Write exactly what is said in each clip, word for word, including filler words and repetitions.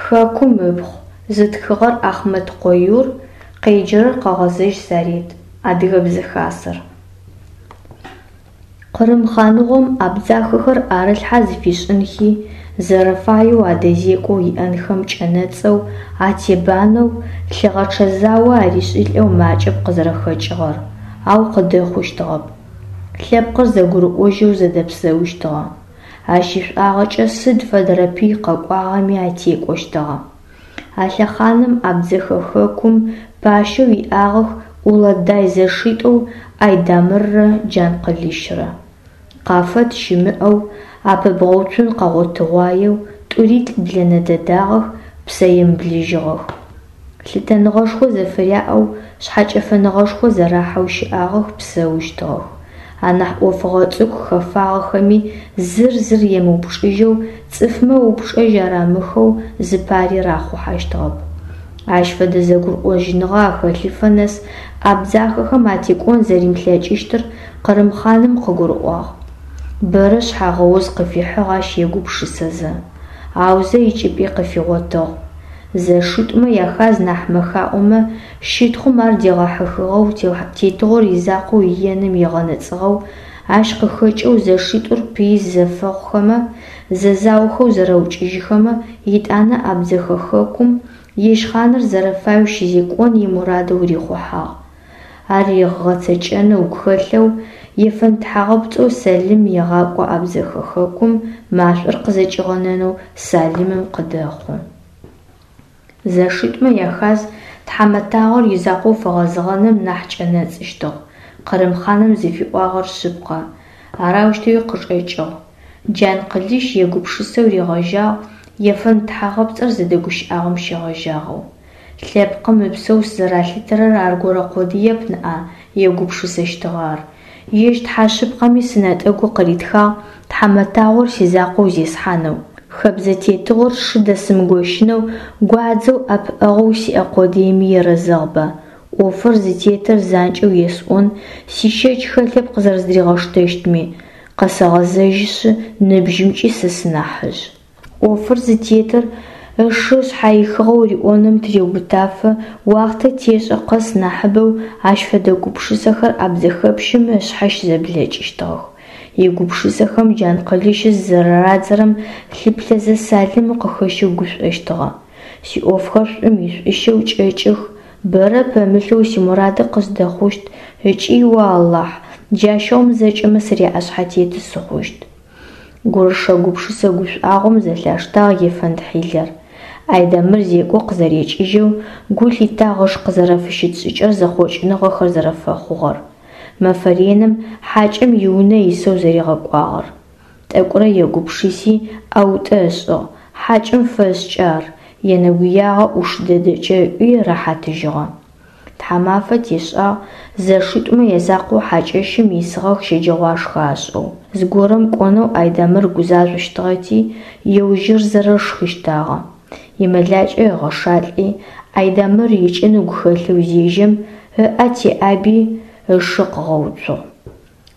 Хэкум ыпхъу, зытхыгъэр Ахъмэткъо Юр, къеджэрэр Къэгъэзэжь Сарет, Адыгэ Хасэр. Къырым хъаныгъом абдзахэхэр ӏэрылъхьэ зыфишӏынхи, зэрэфаеу адэзекӏоу иӏэнхэм кӏэнэцӏэу, атебанэу, лъыгъэчъэ зао аришӏылӏэу макӏэп къызэрэхэкӏыгъэр, ау къыдэхъущтыгъэп. Лъэпкъыр зэгурыӏожьэу зэдэпсэущтыгъэ. Ащ ишӏуагъэкӏэ сыд фэдэрэ пый къэкӏуагъэми атекӏощтыгъэ. А лъэхъаным Абдзэхэ хэкум пащэу иӏагъэх Уладай зэшитӏоу Айдамыррэ Джанкъылыщрэ. Къафэт щымыӏэу, апэбгъэуцун къэгъотыгъуаеу тӏури лӏыблэнэ дэдагъэх, псэемыблэжьыгъэх. Лъытэныгъэшхо зэфыряӏэу, шъхьэкӏэфэныгъэшхо зэрахьэу щыӏагъэх, псэущтыгъэх. Анахь ӏофыгъо цӏыкӏу хэфагъэхэми зыр зыр емыупчӏыжьэу, цӏыфмэ упчӏэжь арамыхэу зыпари рахъухьащтыгъэп. Ащ фэдэ зэгурыӏожьыныгъэ ахэлъыфэ нэс абдзахэхэм атекӏон зэримылъэкӏыщтыр Къырым хъаным къыгурыӏуагъ. Бэрэ шъхьагъэуз къыфихьыгъ ащ егупшысэзэ. Аузэ икӏыпӏи къыфигъотыгъ. Зэшитӏумэ яхаз нахь мэхаӏомэ, щытхъум ар дегъэхьыхыгъэу тетыгъор изакъоу иеным егъэнэцӏыгъэу, ащ къыхэкӏэу зэшитӏур пыи зэфэхъухэмэ, зэзаохэу зэрэукӏыжьыхэмэ, етӏанэ Абдзэхэ хэкум ежь хъаныр зэрэфаеу щызекӏон имурадэу рихъухьагъ. Ар ыгъэцэкӏэнэу ыгу хэлъэу, ефэнд тхьагъэпцӏэу Сэлым егъакӏо Абдзэхэ хэкум машӏор къызэкӏигъэнэнэу Салымым къыдэхъу. Зэшитӏумэ яхаз тхьамэтагъор изакъоу фэгъэзэгъэным нахь кӏэнэцӏыщтыгъ. Къырым хъаным зыфиӏуагъэр шъыпкъэ. Арэущтэуи къычӏэкӏыгъ. Джанкъылыщ егупшысэу ригъэжьагъ ефэнд тхьагъэпцӏыр зыдэгущыӏагъэм щегъэжьагъэу. Лъэпкъым ыпсэу сызэралъытэрэр аргорэ къодыеп ныӏа, егупшысэщтыгъэ ар. Ежь Тхьэ шъыпкъэми сынэтӏэгу къыритхагъ тхьамэтагъор сизакъоу зесхьанэу. Хэбзэ тетыгъор сшы дэсымыгощынэу гуадзэу ӏэпыӏэгъоу сиӏэ къодыеми ерэзэгъба. Ӏофыр зытетыр занкӏэу есӏон, сищэч хэлъэп къызэрэздыригъэштэщтми. Къэсэгъэзэжьышъы, ныбжьымкӏи сэ сынахьыжъ. Ӏофыр зытетыр ышы шъхьаихыгъэу риӏоным тыреубытафэ уахътэ тешӏэ къэс нахьыбэу ащ фэдэ гупшысэхэр абдзэхэпщым ышъхьэ щызэблэкӏыщтыгъэх. Игупшысэхэм Джанкъылыщ зызэрэрадзэрэм лъыплъэзэ Салым къыхэщэу гушӏощтыгъэ. Сиӏофхэр шӏум ишӏущэу кӏэкӏых, бэрэ пэмылъэу симурады къыздэхъущт ыкӏи, о Алахь, джащыгъум зэкӏэмэ сыряӏэшъхьэтеты сыхъущт. Гурышэ-гупшысэ гушӏуагъом зэлъаштагъ ефэнд хьилэр. Айдамыр зекӏо къызэрекӏыжьэу гу лъитагъ ыш къызэрэфыщыт шӏыкӏэр зэхъокӏыныгъэхэр зэрэфэхъугъэр. Мэфэ реным хьакӏэм иунэ исэу зэригъэкӏуагъэр. Тӏэкӏурэ егупшыси, ӏэутӏэ ышӏыгъ, хьакӏэм фэшӏкӏэ ар, енэгуягъэ ӏуш дэдэкӏэ ыӏуи рэхьатыжьыгъэ. Тхьамафэ тешӏагъ, зэшитӏумэ язакъоу хьакӏэщым исыгъэх щэджэгъуашхэ ашӏэу. Зыгорэм кӏонэу Айдамыр гузажъощтыгъэти, еужьырзэрэ шхыщтагъэ. Имэлакӏэ ыгъэшалӏи, Айдамыр икӏын ыгу хэлъэу зежьэм, ыӏэ теӏаби, ышы къыгъэуцугъ.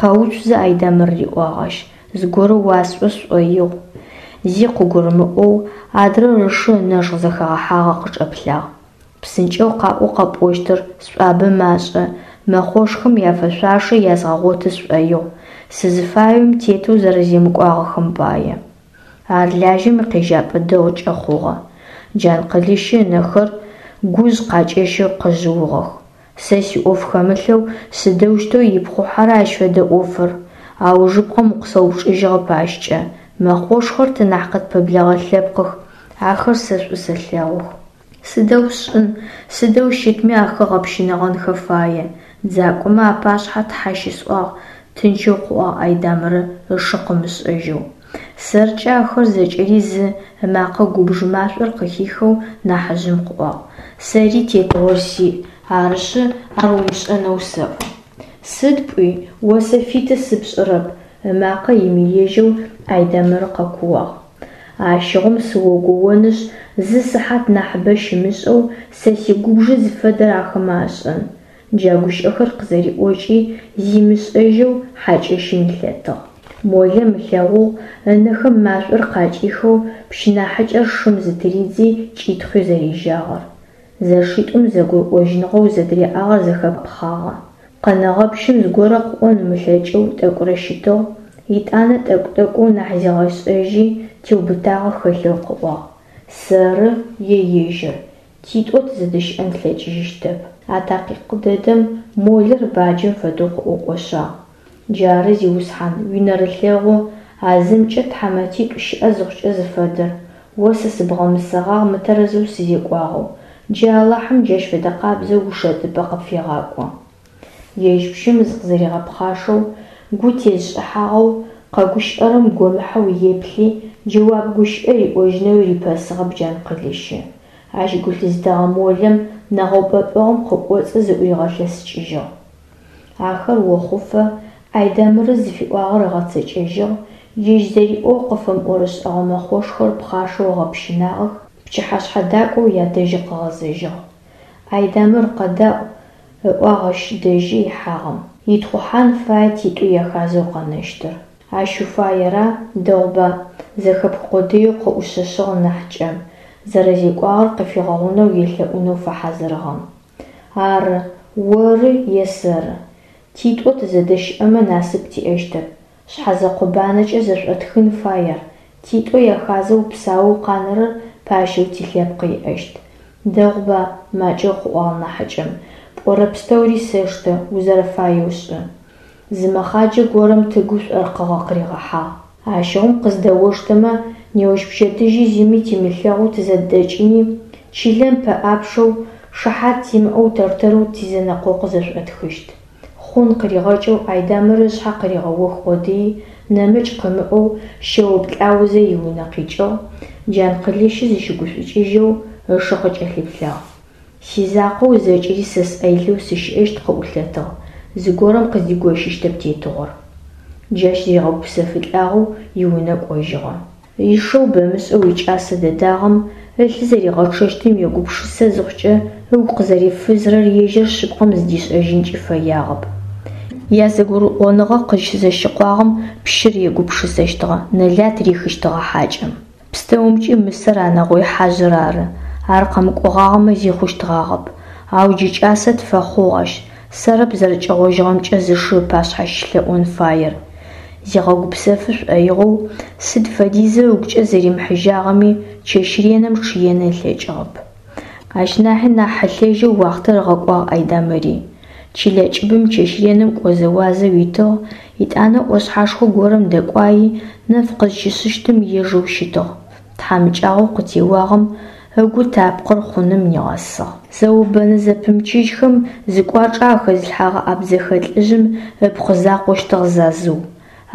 Къэуцу зэ, Айдамыр, риӏуагъ ащ, зыгорэ уасӏо сшӏоигъу. Зи къыгурымыӏоу, адрэр ышы ынэжгъ зэхэгъэхьагъэ къычӏэплъагъ. Псынкӏэу къаӏо къэпӏощтыр, сшӏуабэ машӏэ, мэхъошхэм яфэшъуашэ язгъэгъоты сшӏоигъу, сызыфаем тетэу зэрэземыкӏуагъэхэм пае. Ар лажьэм икъежьапӏэ дэгъукӏэ хъугъэ. Джанкъылыщы ынэхэр гужъ къакӏэщэу къэжъыугъэх. Сэ сиӏоф хэмылъэу сыдэущтэу ипхъухьэрэ ащ фэдэ ӏофыр? Аужыпкъэм укъысэупчӏыжьыгъэп ащкӏэ. Мэхъошхэр тэ нахь къытпэблэгъэ лъэпкъых, ахэр сэ шӏу сэлъэгъух. Сыдэу сшӏын, сыдэу щытми ахэр гъэпщынэгъэнхэ фае. Дзакӏомэ апашъхьэ Тхьэ щысӏуагъ, тынчэу къыӏуагъ Айдамыры ышы къымышӏэжьэу. Сэркӏэ ахэр зэкӏэри зы, ымакъэ губж машӏор къыхихэу нахьыжъым къыӏуагъ. Сэри тетыгъор сиӏ, арышъы ар умышӏэнэу сэӏо. Сыд пӏуи, о сэ фиты сыпшӏырэп, ымакъэ имыежьэу Айдамыр къэкууагъ. Ащыгъум сыогоонышъ, зы сыхьат нахьыбэ щымышӏэу сэ сигубжы зыфэдэр ахэмэ ашӏэн. Джа гущыӏэхэр къызэриӏокӏи, зимышӏэжьэу хьакӏэщым илъэтыгъ. Молэм ылъэгъугъ ынэхэм машӀор къакӀихэу пщы нахьыкӀэр шым зытыридзи, кӀитхъуи зэрежьагъэр. ЗэшитӀум зэгурыӀожьыныгъэу зэдыряӀагъэр зэхэпхъагъэ. Къэнэгъэ пщым зыгорэ къыӀон ымылъэкӀэу тӀэкӀурэ щытыгъ, етӀанэ тӀэкӀу-тӀэкӀоу нахь зигъэшӀэжьи, теубытагъэ хэлъэу къыӀуагъ: «Сэры е ежьыр, титӀо тызэдэщыӀэн тлъэкӀыжьыщтэп». А такъикъ дэдэм молэр баджэм фэдэу къыӀукӀошъагъ. Джары, зиусхьан, уинэрылъэгъу а зымкӀэ тхьамэтитӀу щыӀэ зыхъукӀэ зыфэдэр. О сэ сыбгъэмысэгъагъ мытэрэзэу сызекӀуагъэу, джы Алахьым джащ фэдэкъабзэу ушэтыпӀэ къыпфегъакӀо. Ежь пщым зыкъызэригъэпхъашэу, гу тезышӀыхьагъэу, къэгущыӀэрэм гомыхьэу еплъи, джэуап гущыӀэ риӀожьынэуи рипэсыгъэп Джанкъылыщы. Ащ гу лъызытэгъэ молэм нэгъэупӀэпӀэгъум къыкӀоцӀы зыӀуригъэлъэсыкӀыжьыгъ. Ахэр охъуфэ Айдамырэ зыфиӀуагъэр ыгъэцэкӀэжьыгъ, ежь зэриӀоу къыфэмыӀорышӀэгъэ мэхъошхэр пхъашэу ыгъэпщынагъэх, пчыхьэшъхьэ дакӀоу ядэжьы къыгъэзэжьыгъ. Айдамыр, къэдаӀу, ыӀуагъ ащ дэжьы ихьагъэм. Итхъухьан фае титӀу яхазэу къэнэщтыр. Ащ уфаера, дэгъуба, зэхэпх къодыеу къыӀушъэшъыгъ нахьыкӀэм, зэрэзекӀуагъэр къыфигъэгъунэу елъэӀунэу фэхьазырыгъэм. Ары, оры е сэры. ТитӀо тызэдэщыӀэмэ насып тиӀэщтэп. Шъхьэзэкъо банэкӀэ зэшӀотхын фай ар, титӀо яхазэу псаоу къанэрэр пащэу тилъэпкъ иӀэщт. Дэгъуба, макӀэу къыӀуагъ нахьыкӀэм, пӀорэ пстэури сэштэ, узэрэфаеу шӀы. Зы мэхъаджэ горэм тыгу шӀоркъыгъэ къыригъэхьагъ. Ащыгъум къыздэоштэмэ, неущпчэдыжьи зыми тимылъэгъоу тызэдэкӀыни, чылэм пэӀапчъэу, шыхьат тимыӀэу тэр-тэрэу тизэнэкъокъу зэшӀотхыщт. Хъун къыригъэкӀэу Айдамыр ышъхьэ къыригъэох къодыий, нэмыкӀ къымыӀоу щэуплӀаузэ иунэ къикӀыгъ, Джанкъылыщи зыщыгушӀукӀыжьэу ышы къыкӀэлъыплъагъ. Сизакъоу зэкӀэри сэ сӀэ илъэу сыщыӀэщт къыӀулъэтыгъ, зыгорэм къыздигощыщтэп тетыгъор. Джащ зыригъэгупсэфылӀагъэу иунэ кӀожьыгъэ. Ишэу бэмышӀэу икӀасэ дэдагъэм ылъы зэригъэчъэщтым егупшысэ зыхъукӀэ ыгу къызэрифызырэр ежьыр шъыпкъэм зыдишӀэжьынкӀи фэягъэп. ЯзэгурыӀоныгъэ къызщызэщыкъуагъэм пщыр егупшысэщтыгъэ, нэлат рихыщтыгъэ хьакӀэм. ПстэумкӀи мысэр а нэгъой хьажъыр ары. Ар къэмыкӀогъагъэмэ зи хъущтгъагъэп. Ау джы кӀасэ тфэхъугъ ащ, сэрэп зэрэкӀэгъожьыгъэмкӀэ зышы ыпашъхьэ щылъэӀон фаер. Зигъэгупсэфы шӀоигъоу, сыд фэдизэу ыгукӀэ зэримыхьыжьагъэми, чэщ реным чъыен ылъэкӀыгъэп. Ащ нахьи нахь хьылъэжьэу уахътэр ыгъэкӀуагъ Айдамыри. Чылэ кӀыбым чэщ реным кӀозэуазэу итыгъ, етӀанэ Ӏошъхьэшхо горэм дэкӀуайи, нэф къызщишъыщтым ежэу щытыгъ. ТхьамыкӀагъоу къытеуагъэм ыгу тапкъыр хъуным нигъэсыгъ. Зэо-бэнэ зэпымычыжьхэм зыкӀуачӀэ ахэзылъхьэгъэ абдзэхэ лӀыжъым ыпхъу закъощтыгъ Зазыу.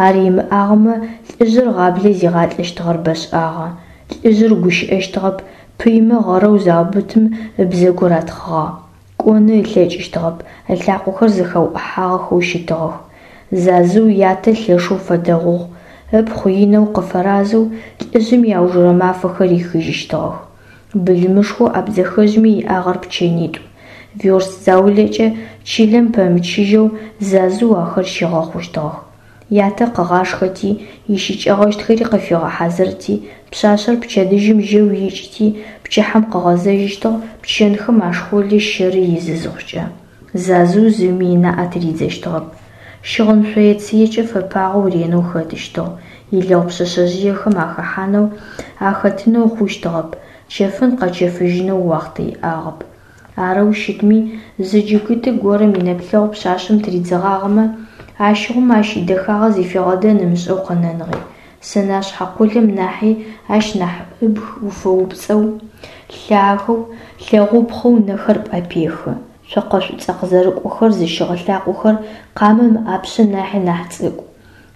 Ар имыӀагъэмэ, лӀыжъыр гъаблэ зигъалӀэщтыгъэр бэшӀагъэ. ЛӀыжъыр гущыӀэщтыгъэп, пыймэ гъэрэу заубытым ыбзэгу ратхъыгъагъ. КӀоны ылъэкӀыщтыгъэп, ылъакъохэр зэхэуӀыхьагъэхэу щытыгъэх. Зазыу ятэ лъэшэу фэдэгъугъ, ыпхъу инэу къыфэразэу лӀыжъым иаужырэ мафэхэр рихыжьыщтыгъэх. Былымышхоу абдзэхэжъми иӀагъэр пчэнитӀу. Верст заулэкӀэ чылэм пэмычыжьэу Зазыу ахэр щигъэхъущтыгъэх. Ятэ къыгъашхэти, ищыкӀэгъэщтхэри къыфигъэхьазырти, пшъашъэр пчэдыжьым жьэу икӀыти, пчыхьэм къыгъэзэжьыщтыгъ пчэнхэм ашхъолы щэры изы зыхъукӀэ. Зазыу зыми ынаӀэ тыридзэщтыгъэп. Щыгъын шъое-цыекӀэ фэпагъэу ренэу хэтыщтыгъ, илэгъу пшъэшъэжъыехэм ахэхьанэу, ахэтынэу хъущтыгъэп, чэфын-къэчэфыжьынэу уахътэ иӀагъэп. Арэу щытми, зы джыгыты горэм инэплъэгъу пшъашъэм тыридзэгъагъэмэ, ащыгъум ащ идэхагъэ зыфигъэдэн ымышӀэу къэнэныгъи. Сэнашъхьэ къолэн нахьи ащ нахь ыбг уфэупцӀэу, лъагэу, лъэгъупхъэу нэхэр пӀэпехы. Цокъэ шӀуцӀэ къызэрыкӀохэр зыщыгъ лъакъохэр къамэм ыӀапшъэ нахьи нахь цӀыкӀу.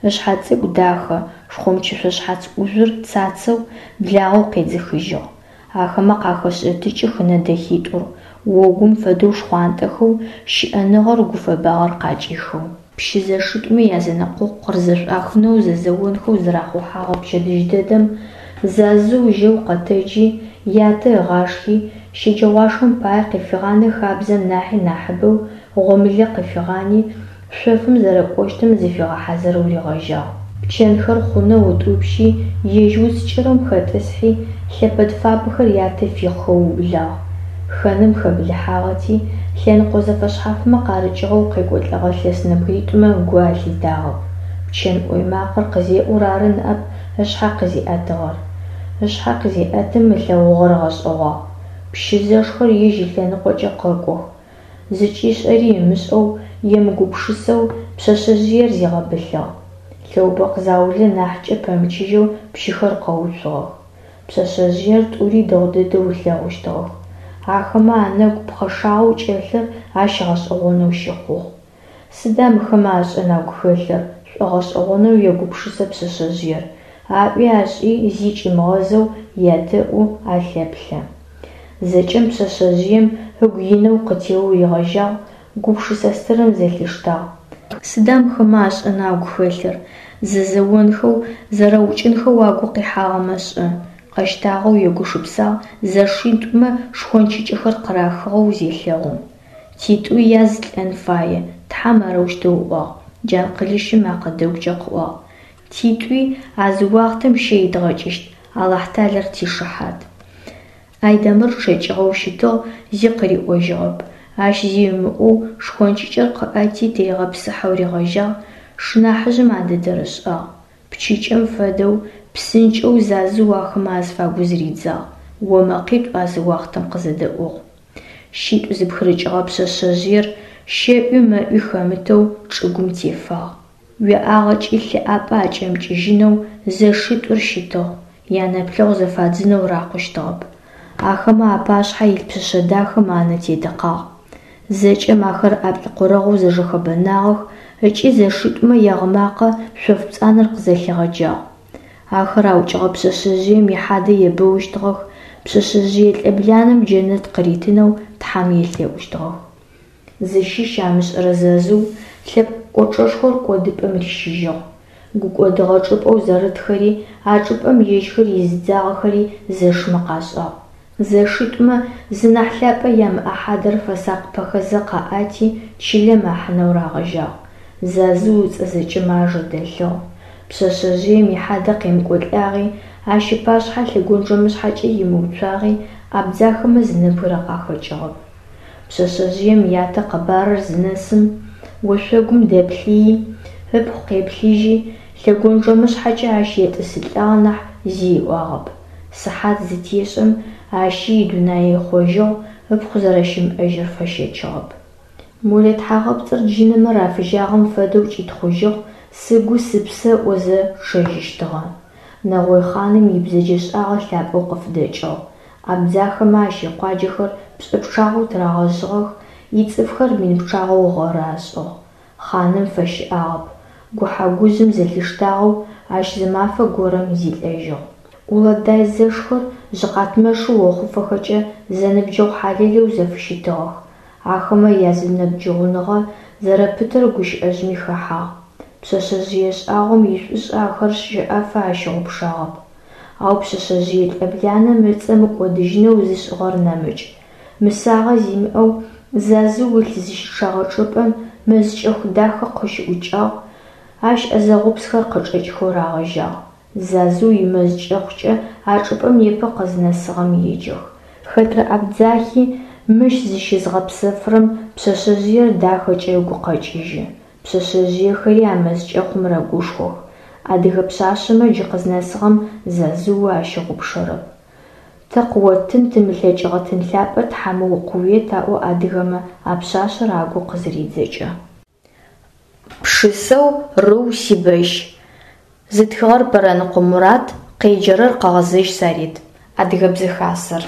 Ышъхьэ цӀыкӀу дахэ, шхъомчышъо шъхьац Ӏужъур цацэу, благъэу къедзыхыжьыгъ. Ахэмэ къахэшъэтыкӀых ынэ дэхитӀур, огум фэдэу шхъуантӀэхэу, щыӀэныгъэр, гуфэбагъэр къакӀихэу. Пщы зэшитӀумэ язэнэкъокъу къырызэшӀуахынэу зэзэонхэу зырахъухьэгъэ пчэдыжь дэдэм Зазыу жьэу къэтэджи, ятэ ыгъашхи, щэджэгъуашхэм пае къыфигъанэ хабзэм нахьи нахьыбэу гъомылэ къыфигъани, шъофым зэрэкӀощтым зыфигъэхьазырэу ригъэжьагъ. Пчэнхэр хъунэу ытӏупщи, ежь уц кӏырым хэтӏысхьи, лъэпэд фабэхэр ятэ фихъхэу ыублагъ. Хэным хэблыхьагъэти, лъэныкъо зэфэшъхьафмэ къарыкӏыгъэу къекӏолӏэгъэ лъэс нэбгыритӏумэ гу алъитагъэп. Пчэн ӏой макъэр къызеӏур ары ныӏэп ышъхьэ къызиӏэтыгъэр. Ышъхьэ къызеӏэтым ылъэгъугъэр ыгъэшӏэгъуагъ. Пщы зэшхэр ежь ылъэныкъокӏэ къэкӏох. Зыкӏишӏэри ымышӏэу, емыгупшысэу пшъэшъэжъыер зигъэбылъыгъ. Лъэубэкъу заулэ нахькӏэ пэмычыжьэу пщыхэр къэуцугъэх. Пшъэшъэжъыер тӏури дэгъу дэдэу ылъэгъущтыгъэх. Ахэмэ анэгу пхъэшагъэу кӏэлъыр ащ гъэшӏэгъонэу щыхъугъ. Сыда мыхэмэ ашӏэн агу хэлъыр? Шӏогъэшӏэгъонэу егупшысэ пшъэшъэжъыер. Аӏуи ашӏи зи кӏимыгъэзэу ядэӏу, алъэплъэ. Зэкӏэм пшъэшъэжъыем ыгу инэу къытеоу ригъэжьагъ, гупшысэ стырым зэлъиштагъ. Сыда мыхэмэ ашӏэн агу хэлъыр? Зэзэонхэу, зэрэукӏынхэу агу къихьагъэмэ шӏэ? Къэщтагъэу егушыпсагъ зэшитӏумэ шхончыкӏэхэр къырахыгъэу зелъэгъум. Титӏуи яз лӏэн фае, Тхьэм арэущтэу ыӏуагъ, Джанкъылыщым мэкъэ дэгукӏэ къыӏуагъ. Титӏуи а зы уахътэм щэ идгъэкӏыщт, Алахьталэр тишыхьат. Айдэмыр чъэкӏыгъэу щытыгъ, зи къыриӏожьыгъэп. Ащ зи ымыӏоу шхончыкӏэр къыӏэти тыригъэпсыхьэу ригъэжьагъ, шынахьыжъым а дэдэр ышӏагъ. Пчыкӏэм фэдэу псынкӏэу Зазыу ахэмэ азыфагу зыридзагъ. Омэкъитӏу а зы уахътэм къызэдэӏугъ. Щитӏу зыпхырыкӏыгъэ пшъэшъэжъыер щэӏуи мэӏуи хэмытэу чӏыгум тефагъ. Уеӏагъэкӏи лъы ӏапӏэ акӏэмыкӏыжьынэу зэшитӏур щытыгъ, янэплъэгъу зэфадзынэу рахъущтыгъэп. Ахэмэ апашъхьэ илъ пшъэшъэ дахэм анэ тедыкъагъ. Зэкӏэм ахэр ӏаплӏкъорэгъоу зэжэхэбэнагъэх ыкӏи зэшитӏумэ ягъымакъэ шъоф пцӏанэр къызэлъигъэджагъ. Ахэр аукӏыгъэ пшъэшъэжъыем ихьадэ ебэущтыгъэх, пшъэшъэжъые лӏэбланэм джэнэт къыритынэу Тхьэм елъэӏущтыгъэх. Зыщыщ амышӏэрэ Зазыу лъэпкъ кӏочӏэшхор кӏодыпӏэм рищыжьыгъ. Гукӏодыгъэ чӏыпӏэу зэрытхэри, а чӏыпӏэм ежьхэр изыдзагъэхэри зэшмэ къашӏагъ. Зэшитӏумэ зы нахь лъапӏэ ямыӏэ хьадэр фэсакъыпэхэзэ къаӏати, чылэм ахьынэу рагъэжьагъ. Зазыу ыцӏэ зэкӏэмэ ажэ дэлъыгъ. Пшъэшъэжъыем ихьадэ къемыкӏолӏагъи, ащ ыпашъхьэ лъэгонджэмышъхьэкӏэ имыуцуагъи абдзахэмэ зы нэбгырэ къахэкӏыгъэп. Пшъэшъэжъыем ятэ къэбарыр зынэсым, ошъогум дэплъыйи, ыпхъу къеплъыжьи, лъэгонджэмышъхьэкӏэ ащ етӏысылӏагъ нахь зи ыӏуагъэп. Сыхьат зытешӏэм ащи идунае ыхъожьыгъ, ыпхъу зэрэщымыӏэжьыр фэщэчыгъэп. Молэ тхьагъэпцӏыр джынэмэ рафыжьагъэм фэдэу кӏитхъужьыгъ, сыгу сыпсэ ыӏозэ чъэжьыщтыгъэ. Нэгъой хъаным ибзэджэшӏагъэ лъапӏэу къыфыдэкӏыгъ. Абдзахэмэ ащ икъуаджэхэр пшӏы пчъагъэу тырагъэжъыгъэх, ицӏыфхэр мин пчъагъэу гъэры ашӏыгъ. Хъаным фэщыӏагъэп. Гухьэ-гужъым зэлъиштагъэу ащ зы мафэ горэм зилӏэжьыгъ. Улэдай зэшхэр жъыкъатмэшы охъуфэхэкӏэ зэныбджэгъу хьалэлэу зэфыщытыгъэх. Ахэмэ язэныбджэгъуныгъэ зэрэпытэр гущыӏэжъми хэхьагъ. Пшъэшъэжъые шӏагъом ишӏушӏэ ахэр щэӏэфэ ащыгъупшагъэп. Ау пшъэшъэжъые лӏэбланэм ыцӏэ мыкӏодыжьынэу зышӏыгъэр нэмыкӏ. Мысагъэ зимыӏэу Зазыу ылъ зыщычъагъэ чӏыпӏэм мэз кӏэху дахэ къыщыӏукӏагъ, ащ ӏэзэгъупсхэр къычӏэкӏхэу рагъэжьагъ. Зазыу имэз кӏэхъукӏэ а чӏыпӏэм непэ къызнэсыгъэм еджэх. Хэтрэ абдзахи мыщ зыщызгъэпсэфырэм пшъэшъэжъыер дахэкӏэ ыгу къэкӏыжьы. Пшъэшъэжъыехэри а мэз кӏэхъум рэгушхох. Адыгэ пшъашъэмэ джы къызнэсыгъэм Зазыу ащыгъупшэрэп. Тэ къыоттын тымылъэкӏыгъэ тын лъапӏэ тхьэмэ къыует аӏо адыгэмэ а пшъашъэр агу къызыридзэкӏэ. Пшысэу «Рыу, сибэщ». Зытхыгъэр Пэрэныкъо Мурат, къеджэрэр Къэгъэзэжь Сарет. Адыгэбзэ хасэр.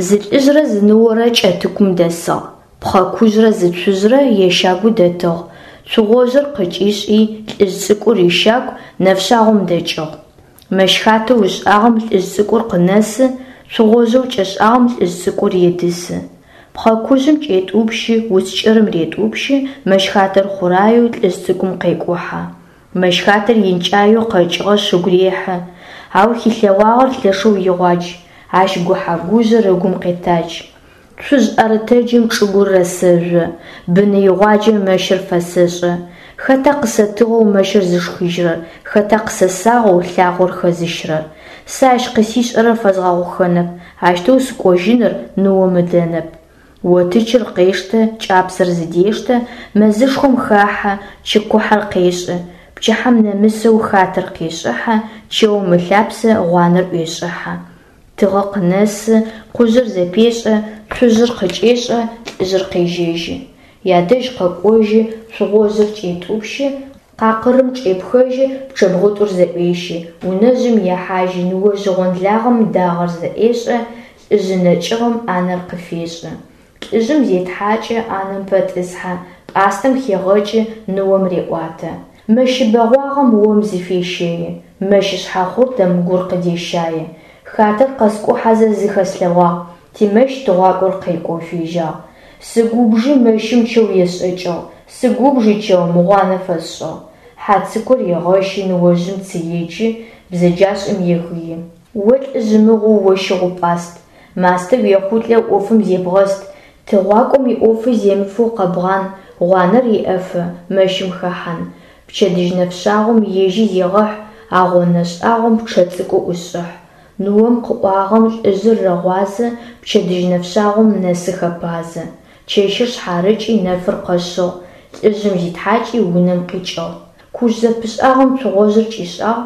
Зы лӏыжърэ зы ныорэ Кӏэтыкум дэсыгъ. Пхъэкужърэ зы цужърэ ящагу дэтыгъ. Цугъожъыр къыкӏишӏи, лӏыжъ цӏыкӏур ищагу нэфшъагъом дэкӏыгъ. Мэщхатэу ышӏагъэм лӏыжъ цӏыкӏур къынэсы, цугъожъэу кӏэшӏагъэм лӏыжъ цӏыкӏур едысы. Пхъэкужъым кӏетӏупщы, уц кӏырым ретӏупщы, мэщхатэр хъураеу лӏыжъ цӏыкӏум къекӏухьэ. Мэщхатэр инкӏаеу къэкӏыгъэшъ ыгу рехьы, ау хилъэгъуагъэр лъэшэу игъуадж, ащ гухьэ-гужъыр ыгум къетадж. Цужъ ӏэрытэджым чӏыгур рэсэжъо, быны игъуаджэ мэщыр фэсэшӏэ, Хэта къысэтыгъэу мэщыр зышхыжьырэр, хэта къысэсагъэу лъагъор хэзыщырэр? Сэ ащ къысишӏэрэр фэзгъэгъухэнэп, ащтэу сыкӏожьыныр ныом ыдэнэп. Отычыр къештэ, кӏапсэр зыдештэ, мэзышхом хахьэ, чы кухьэр къешӏы. Пчыхьэм нэмысэу хатэр къешӏыхьэ, чэум ылъапсэ гъуанэр ӏуешӏыхьэ. Тыгъэ къынэсы, къужъыр зэпешӏэ, цужъыр къыкӏешӏэ, лӏыжъыр къежьэжьы. Ядэжь къэкӏожьы, цугъожъыр кӏетӏупщы, къакъырым чӏепхэжьы, пчъэбгъутӏур зэӏуещы. Унэжъым ехьажьы, ныожъ гъонлагъэм дагъэр зэӏешӏэ, лӏыжъы нэкӏыгъэм ӏанэр къыфешӏы. Лӏыжъым зетхьакӏы, ӏанэм пэтӏысхьэ, пӏастэм хегъэкӏы, ныом реӏуатэ. Мэщы бэгъуагъэм ом зыфещэи, мэщы шъхьахъуртэм гур къыдещае. Хатэр къэскӏухьэзэ зыхэслъэгъуагъ, тимэщ тыгъуакӏор къекӏоу фежьагъ. Сыгубжи мэщым чэу есшӏэкӏыгъ, сыгубжи чэум гъуанэ фэсшӏыгъ. Хьацыкур егъэщы, ныожъым цы еджы, бзэджашӏэм егыи. О лӏыжъ мыгъоу о щыгъупӏаст, мастэ уехъулӏэу ӏофым зебгъэст, тыгъуакӏом иӏофы земыфэу къэбгъан, гъуанэр еӏэфэ мэщым хэхьан. Пчэдыжь нэфшъагъом ежьи зегъэхь, а гъонэ шӏагъом пчъэ цӏыкӏу ӏушӏыхь. Ныом къыӏуагъэм лӏыжъыр рэгъуазэ, пчэдыжь нэфшъагъом нэсы хэпазэ. Чэщыр шъхьарыкӏи нэфыр къэшъыгъ, лӏыжъым зитхьакӏи унэм къикӏыгъ. Кужъ зэпышӏагъэм цугъожъыр кӏишӏагъ,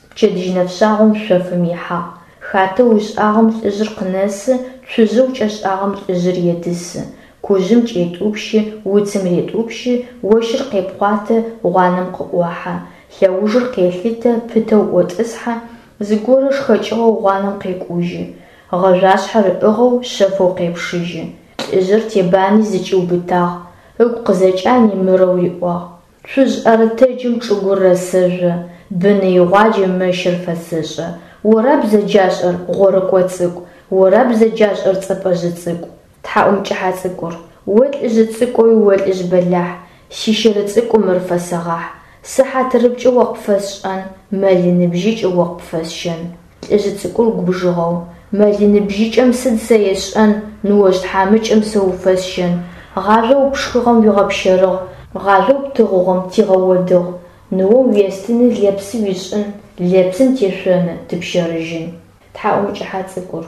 пчэдыжь нэфшъагъом шъофым ихьагъ. Хатэу ышӏагъэм лӏыжъыр къынэсы, цужъэу кӏэшӏагъэм лӏыжъыр едысы. Кужъым кӏетӏупщы, уцым ретӏупщы, ощыр къепхъуатэ, гъуанэм къыӏохьэ. Лъэужыр къелъытэ, пытэу ӏотӏысхьэ, зыгорэ шхэкӏыгъэу гъуанэм къекӏужьы. Гъэжъуашъхьэр ыӏыгъэу шъэфэу къепшыжьы. Лӏыжъыр тебани зыкӏиубытагъ, ыгу къызэкӏани мырэу риӏуагъ: Цужъ ӏэрытэджым чӏыгур рэсэжъо, быны игъуаджэм мэщыр фэсэшӏэ. Ора бзэджашӏэр, гъорыкӏо цӏыкӏу, ора бзэджашӏэр, цӏэпӏэжъы цӏыкӏу? Тхьаӏумкӏыхьэ цӏыкӏур. О лӏыжъы цӏыкӏоуи о лӏыжъ бэлахь, сищыры цӏыкӏу мыр фэсэгъахь. Сы хьатырыпкӏэ о къыпфэсшӏэн, мэлы ныбжьыкӏэ о къыпфэсщэн. Лӏыжъы цӏыкӏур губжыгъэу: Мэлы ныбжьыкӏэм сыд сэ есшӏэн, ныожъ тхьамыкӏэм сэ уфэсщэн. Гъажъоу пшхыгъэм уигъэпщэрыгъ, гъажъоу птыгъугъэм тигъэодыгъ. Ныом уестыны лэпсы уишӏын, лэпсым тешъоны тыпщэрыжьын. Тхьаӏумкӏыхьэ цӏыкӏур.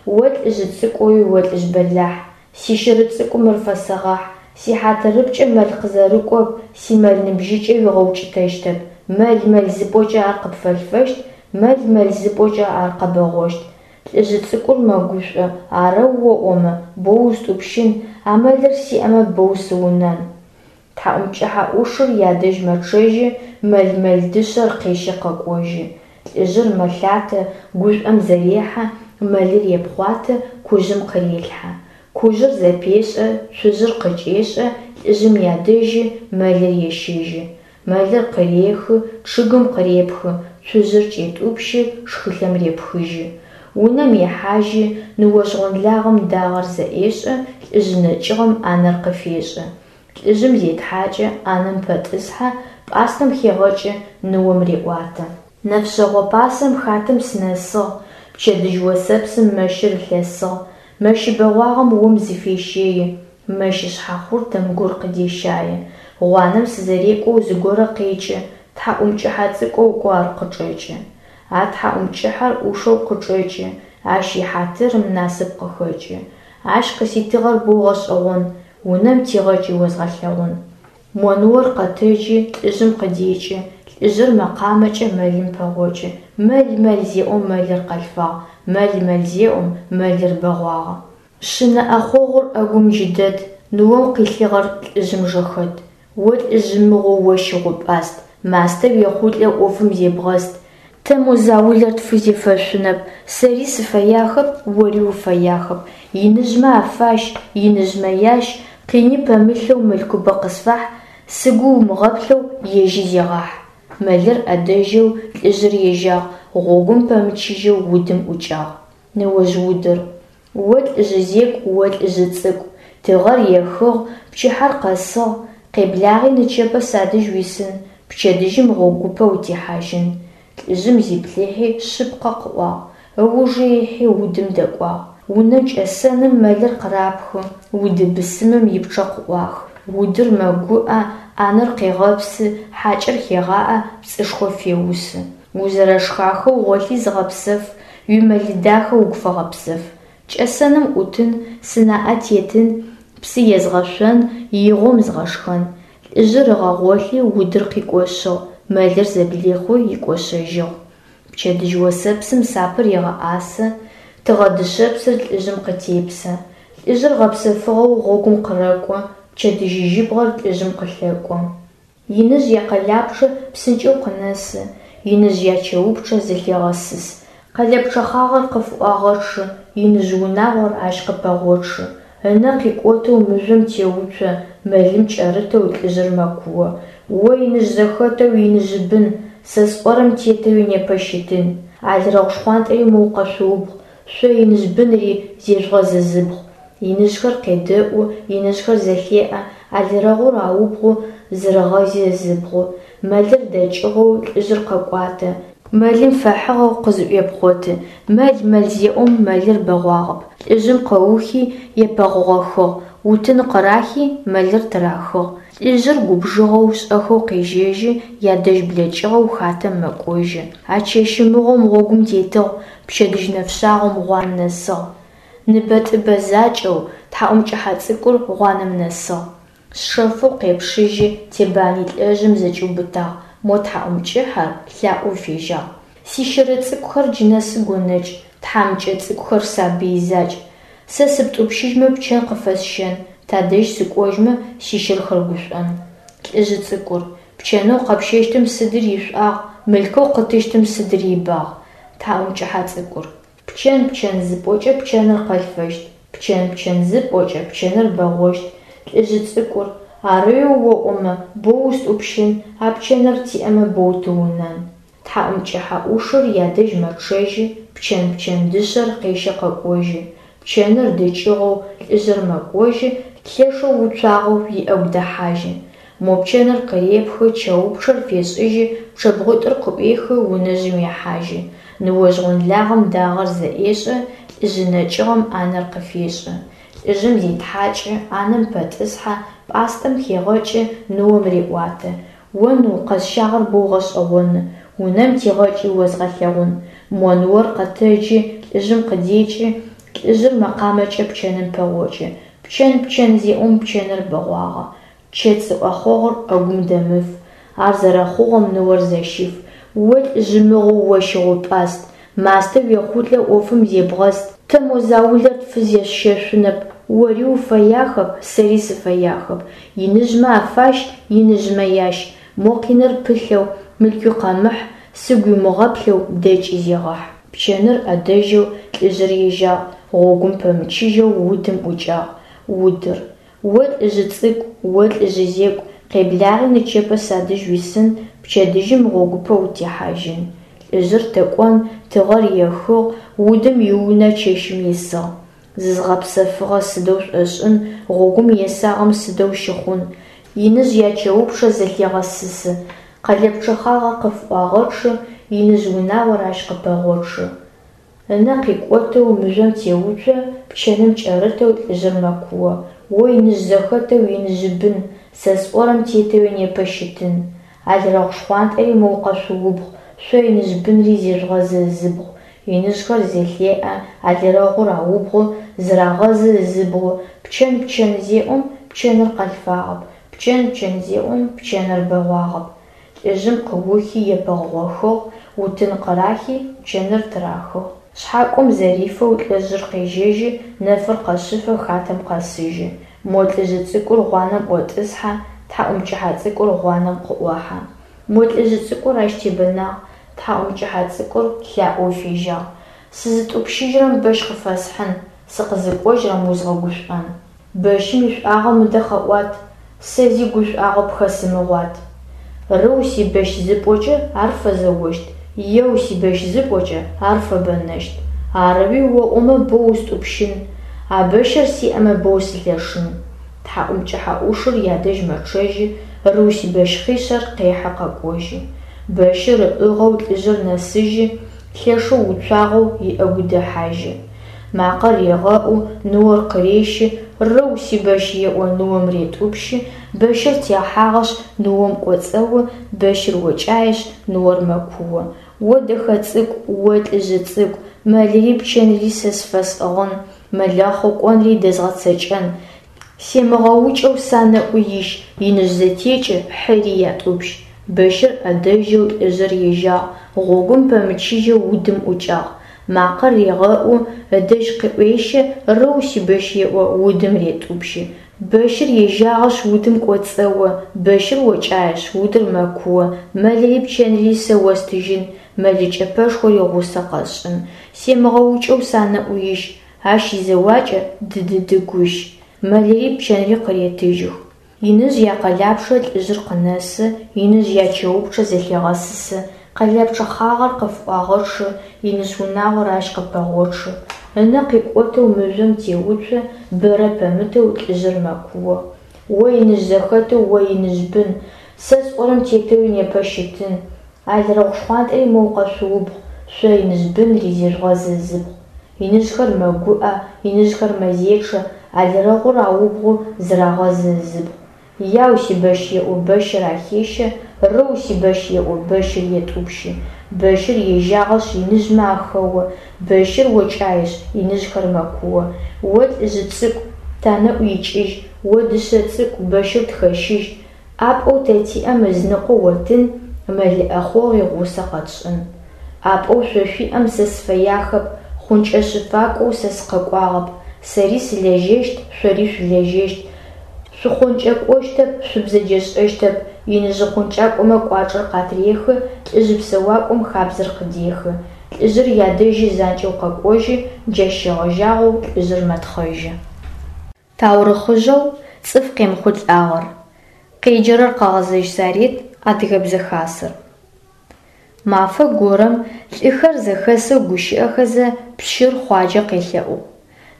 О лӏыжъы цӏыкӏоуи о лӏыжъ бэлахь, сищыры цӏыкӏу мыр фэсэгъахь. Сихьатырыпкӏэ мэл къызэрыкӏоп, симэл ныбжьыкӏэ уигъэукӏытэщтэп. Мэл, мэл зыпӏокӏэ ар къыпфэлъфэщт, мэл, мэл зыпӏокӏэ ар къэбэгъощт. Лӏыжъы цӏыкӏур мэгушӏо: Арэу оӏомэ, боу устӏупщын, а мэлыр сиӏэмэ боу сыунэн. Тхьаӏумкӏыхьэ ӏушыр ядэжь мэчъэжьы, мэл-мэл дышъэр къещи къэкӏожьы. Лӏыжъыр мэлъатэ, гушӏом зэрехьэ, мэлыр епхъуатэ, кужъым къырелъхьэ. Кужъыр зэпешӏэ, цужъыр къыкӏешӏэ, лӏыжъым ядэжьы мэлыр ещэжьы. Мэлыр къырехы, чъыгым къырепхы, цужъыр кӏетӏупщы, шхылъэм репхыжьы. Унэм ехьажьы, ныожъ гъонлагъэм дагъэр зэӏешӏэ, лӏыжъы нэкӏыгъэм ӏанэр къыфешӏы. Лӏыжъым зетхьакӏы, ӏанэм пэтӏысхьэ, пӏастэм хегъэкӏы, ныом реӏуатэ. Нэфшъэгъо пасэм хатэм сынэсыгъ, пчэдыжь осэпсым мэщыр ылъэсыгъ. Мэщы бэгъуагъэм ом зыфещэи, мэщы шъхьахъуртэм гур къыдещае. Гъуанэм сызэрекӏоу зыгорэ къекӏы, тхьаӏумкӏыхьэ цӏыкӏоу кӏо ар къычӏэкӏы. А тхьаӏумкӏыхьэр ӏушэу къычӏэкӏы, ащ ихьатырым насып къыхэкӏы. Ащ къыситыгъэр боу гъэшӏэгъон, унэм тигъэкӏи озгъэлъэгъун. Мо ныор къэтэджы, лӏыжъым къыдекӏы, лӏыжъыр мэкъамэкӏэ мэлым пэгъокӏы. Мэл, мэл зеӏом мэлыр къэлъфагъ, мэл, мэл зеӏом мэлыр бэгъуагъэ. Шъынэ ӏэхъогъур ӏэгум джы дэт, ныом къилъыгъэр лӏыжъым жэхэт. О лӏыжъы мыгъоу о щыгъупӏаст, мастэ уехъулӏэу ӏофым зебгъэст. Тэ мо заулэр тфызефэшъунэп, сэри сыфэяхэп, ори уфэяхэп. Иныжъмэ афащ, иныжъмэ ящ, къини пэмылъэу мылъкубэ къысфахь, сыгу умыгъэплъэу ежьи зегъахь. Мэлыр ӏэдэжьэу лӏыжъыр ежьагъ, гъогум пэмычыжьэу удым ӏукӏагъ. Ныожъ удыр. О лӏыжъы зекӏу, о лӏыжъы цӏыкӏу, тыгъэр ехыгъ, пчыхьэр къэсыгъ, къеблагъи нычэпэ садэжь уисын, пчэдыжьым гъогупэ утехьажьын. Лӏыжъым зиплъыхьи, шъыпкъэ къыӏуагъ, ыужы ихьи удым дэкӏуагъ. Унэ кӏэсэным мэлыр къырапхы, уды бысымым ипчъэ къыӏуахы. Удыр мэгуӏэ, ӏанэр къегъэпсы, Хьакӏэр хегъаӏэ, пцӏышхо феусы. Узэрэшхахэу гъолъи зыгъэпсэф, Уимэлы дахэ угу фэгъэпсэф. Кӏэсэным ӏутын, сынаӏэ тетын, Псы езгъэшъон, игъом згъэшхэн. Лӏыжъыр ыгъэгъолъи удыр къикӏошъыгъ, Мэлыр зэблихъуи икӏошъэжьыгъ. Пчэдыжь осэпсым сапэр егъэӏасэ, Тыгъэ дышъэпсыр лӏыжъым къытепсэ. Лӏыжъыр гъэпсэфыгъэу гъогум къырэкӏо, Пчэдыжь жьыбгъэр лӏыжъым къылъэкӏо. Иныжъ якъэлапчъэ псынкӏэу къынэсы, Иныжъ ячэупчъэ зылъегъэсыс. Къэлэпчъэ хъагъэр къыфыӏуагъэчъы, Иныжъ унагъор ащ къыпэгъочъы. Ынэ къикӏотэу мыжъом теуцо, Мэлым кӏэрытэу лӏыжъыр мэкуо: О иныжъ зэхэтэу иныжъы бын, Сэ сӏорэм тетэуи непэ щытын! Алрэгъу шхъуантӏэри моу къэшъуубгъу, Шъо иныжъ бынри зежъугъэзызыбгъу! Иныжъхэр къедэӏу, иныжъхэр зэлъеӏэ, Алрэгъур аубгъу, зырэгъэзи ызыбгъу. Мэлыр дэкӏыгъэу лӏыжъыр къэкӏуатэ, Мэлым фэхьыгъэу къызыӏуепхъоты. Мэл, мэл зеӏом мэлыр бэгъуагъэп. Лӏыжъым къыухи епэгъогъохыгъ, Утын къырахи мэлыр тырахыгъ. Лӏыжъыр губжыгъэу шӏэхэу къежьэжьы, Ядэжь блэкӏыгъэу хатэм мэкӏожьы. А чэщы мыгъом гъогум тетыгъ, Пчэдыжь нэфшъагъом гъуанэм нэсыгъ. Ныбэ-тӏыбэ закӏэу тхьакӏумкӏыхьэ цӏыкӏур гъуанэм нэсыгъ. Шъэфэу къепшыжьи, тебани лӏыжъым зэкӏиубытагъ, мо тхьакӏумкӏыхьэр лъаӏоу фежьагъ: Сищыры цӏыкӏухэр джы нэсы гонэкӏ, Тхьамыкӏэ цӏыкӏухэр сабый закӏ. Сэ сыптӏупщыжьмэ пчэн къыфэсщэн, Тадэжь сыкӏожьмэ сищырхэр гушӏон. Лӏыжъы цӏыкӏур: Пчэнэу къэпщэщтым сыдыр ишӏуагъ, Мылъкоу къытыщтым сыдыр ибагъ? Тхьакӏумкӏыхьэ цӏыкӏур: Пчэн, пчэн зыпӏокӏэ пчэныр къэлъфэщт, Пчэн, пчэн зыпӏокӏэ пчэныр бэгъощт. Лӏыжъы цӏыкӏур: Арэуи оӏомэ, боу устӏупщын, А пчэныр тиӏэмэ боу тыунэн. Тхьакӏумкӏыхьэ ӏушыр ядэжь мэчъэжьы, Пчэн, пчэн дышъэр къещэ къэкӏожьы. Пчэныр дыкӏыгъоу лӏыжъыр мэкӏожьы, Лъэшэу уцуагъэу иӏэгу дэхьажьы. Мо пчэныр къырепхы, чэупчъэр фешӏыжьы, Пчъэбгъуитӏур къыӏуехы, унэжъым ехьажьы. Ныожъ гъонлагъэм дагъэр зэӏешӏэ, Лӏыжъы нэкӏыгъэм ӏанэр къыфешӏы. Лӏыжъым зетхьакӏы, ӏанэм пэтӏысхьэ, Пӏастэм хегъэкӏы, ныом реӏуатэ: О ныу, къэсщагъэр боу гъэшӏэгъоны, Унэм тигъэкӏи озгъэлъэгъун. Мо ныор къэтэджы, лӏыжъым къыдекӏы, Лӏыжъыр мэкъамэкӏэ пчэным пэгъокӏы. Пчэн, пчэн зеӏом пчэныр бэгъуагъэ, Чэцӏы ӏэхъогъур ӏэгум дэмыф. Ар зэрэхъугъэм ныор зэщиф. О лӏыжъы мыгъоу, о щыгъу-пӏаст, Мастэ уехъулӏэу ӏофым зебгъэст. Тэ мо заулэр тфызещэшъунэп, Ори уфэяхэп, сэри сыфэяхэп. Иныжъмэ афащ, иныжъмэ ящ. Мо къиныр пылъэу, мылъкуи къэмыхь, Сыгу уимыгъэплъэу дэкӏи зегъэхь. Пчэныр ӏэдэжьэу лӏыжъыр ежьагъ, Гъогум пэмычыжьэу удым ӏукӏагъ. Удыр: О лӏыжъы цӏыкӏу, о лӏыжъы зекӏу, Къеблагъи нычэпэ садэжь уисын, Пчэдыжьым гъогупэ утехьажьын. Лӏыжъыр тэ кӏон, тыгъэр ехыгъ, Удым иунэ чэщым исыгъ. Зызгъэпсэфыгъэ сыдэу шӏошӏын, Гъогум есагъэм сыдэу щыхъун. Иныжъ ячэупчъэ зэлъегъэсысы, Къэлэпчъэ хъагъэр къыфыӏуагъэчъы, Иныжъ унагъор ащ къыпэгъочъы. Ынэ къикӏотэу мыжъом теуцо, Пчэным кӏэрытэу лӏыжъыр мэкуо: О иныжъ зэхэтэу иныжъы бын, Сэ сӏорэм тетэуи непэ щытын! Алрэгъу шхъуантӏэри моу къэшъуубгъу, Шъо иныжъ бынри зежъугъэзы ызыбгъу. Иныжъхэр зэлъеӏэ, алрэгъур аубгъу, зырагъэзы ызыбгъу. Пчэн, пчэн зеӏом пчэныр къэлъфагъэп, Пчэн, пчэн зеӏом пчэныр бэгъуагъэп. Лӏыжъым къыухи епэгъогъохыгъ, Утын къырахи пчэныр тырахыгъ. Шъхьакӏом зэрифэу лӏыжъыр къежьэжьы, Нэфыр къэшъыфэ хатэм къэсыжьы. Мо лӏыжъы цӏыкӏур гъуанэм ӏотӏысхьэ, Тхьакӏумкӏыхьэ цӏыкӏур гъуанэм къыӏохьэ. Мо лӏыжъы цӏыкӏур ащ тебэнагъ, Тхьакӏумкӏыхьэ цӏыкӏур лъаӏоу фежьагъ: Сызытӏупщыжьрэм бэщ къыфэсхьын, Сыкъызыкӏожьрэм узгъэгушӏон. Бэщым ишӏуагъэ мыдэ къэӏуат, Сэ зи гушӏуагъо пхэсымыгъуат. Рыу сибэщ зыпӏокӏэ ар фэзэощт, Еу сибэщ зыпӏокӏэ ар фэбэнэщт. Арэуи оӏомэ боу устӏупщын, А бэщыр сиӏэмэ боу сылъэшын. Тхьакӏумкӏыхьэ ӏушыр ядэжь мэчъэжьы, Рыу сибэщ хъишъэр къехьы къэкӏожьы. Бэщыр ыӏыгъэу лӏыжъыр нэсыжьы, Лъэшэу уцуагъэу иӏэгу дэхьажьы. Макъэр регъэӏу, ныор къырещы, Рыу, сибэщ еӏо, ныом ретӏупщы, Бэщыр техьагъэшъ, ныом кӏоцӏэо, Бэщыр окӏаешъ, ныор мэкуо. О дэхэ цӏыкӏу, о лӏыжъы цӏыкӏу, Мэлыри пчэнри сэ сфэсӏыгъын, Мэлэхъо кӏонри дэзгъэцэкӏэн. Семыгъэукӏэу санэӏу ищ, Иныжъ зэтекӏы, хьыри ятӏупщ. Бэщыр ӏэдэжьэу лӏыжъыр ежьагъ, Гъогум пэмычыжьэу удым ӏукӏагъ. Макъэр регъэӏу, ыдэжь къыӏуещэ, Рыу, сибэщ еӏо, удым ретӏупщы. Бэщыр ежьагъэшъ удым кӏоцӏэо, Бэщыр окӏаешъ, удыр мэкуо. Мэлыри пчэнри сэ остыжьын, Мэлы кӏэпэшхори гъусэ къэсшӏын. Семыгъэукӏэу санэӏу ищ, Ащ изэуакӏэ дыдыды гущ. Мэлыри пчэнри къыретыжьых. Иныжъ якъэлапчъэ лӏыжъыр къынэсы, Иныжъ ячэупчъэ зэлъегъэсысы, Къэлэпчъэ хъагъэр къыфыӏуагъэчъы, Иныжъ унагъор ащ къыпэгъочъы. Ынэ къикӏотэу мыжъом теуцо, Бэрэ пэмытэу лӏыжъыр мэкуо: О иныжъ зэхэтэу, о иныжъ бын, Сэ сӏорэм тетэуи непэ щытын! Алрэгъу шхъуантӏэри моу къэшъуубгъу, Шъо иныжъ бынри зежъугъэзы ызыбгъу! Иныжъхэр мэгуӏэ, иныжъхэр мэзечъэ, Алрэгъур аубгъу, зырагъэзы ызыбгъу. Яу, сибэщ еӏо, бэщыр ахещэ, Рыу, сибэщ еӏо, бэщыр етӏупщы. Бэщыр ежьагъэшъ иныжъмэ ахэо, Бэщыр окӏаешъ, иныжъхэр мэкуо. О лӏыжъы цӏыкӏу, танэӏу икӏыжь, О дышъэ цӏыкӏу, бэщыр тхэщыжь! ӏапӏэу тэ тиӏэм ызыныкъо оттын, Мэлы ӏэхъогъуи гъусэ къэтшӏын. ӏапӏэу шъо шъуиӏэм сэ сыфэяхэп, Хъункӏэ-щэфакӏоу сэ сыкъэкӏуагъэп. Сэри сылэжьэщт, шъори шъулэжьэщт, Шъухъункӏэкӏощтэп, шъубзэджэшӏэщтэп. Иныжъы хъункӏакӏомэ кӏуачӏэр къатырехы, Лӏыжъы псэуакӏом хабзэр къыдехы. Лӏыжъыр ядэжьы занкӏэу къэкӏожьы, Джащ щегъэжьагъэу лӏыжъыр мэтхъэжьы. Таурыхъыжъэу цӏыф къемыхъулӏагъэр. Къеджэрэр Къэгъэзэжь Сарет, Адыгэбзэ Хасэр. Мафэ горэм лӏыхэр зэхэсэу гущыӏэхэзэ пщыр Хъуаджэ къелъэӏугъ: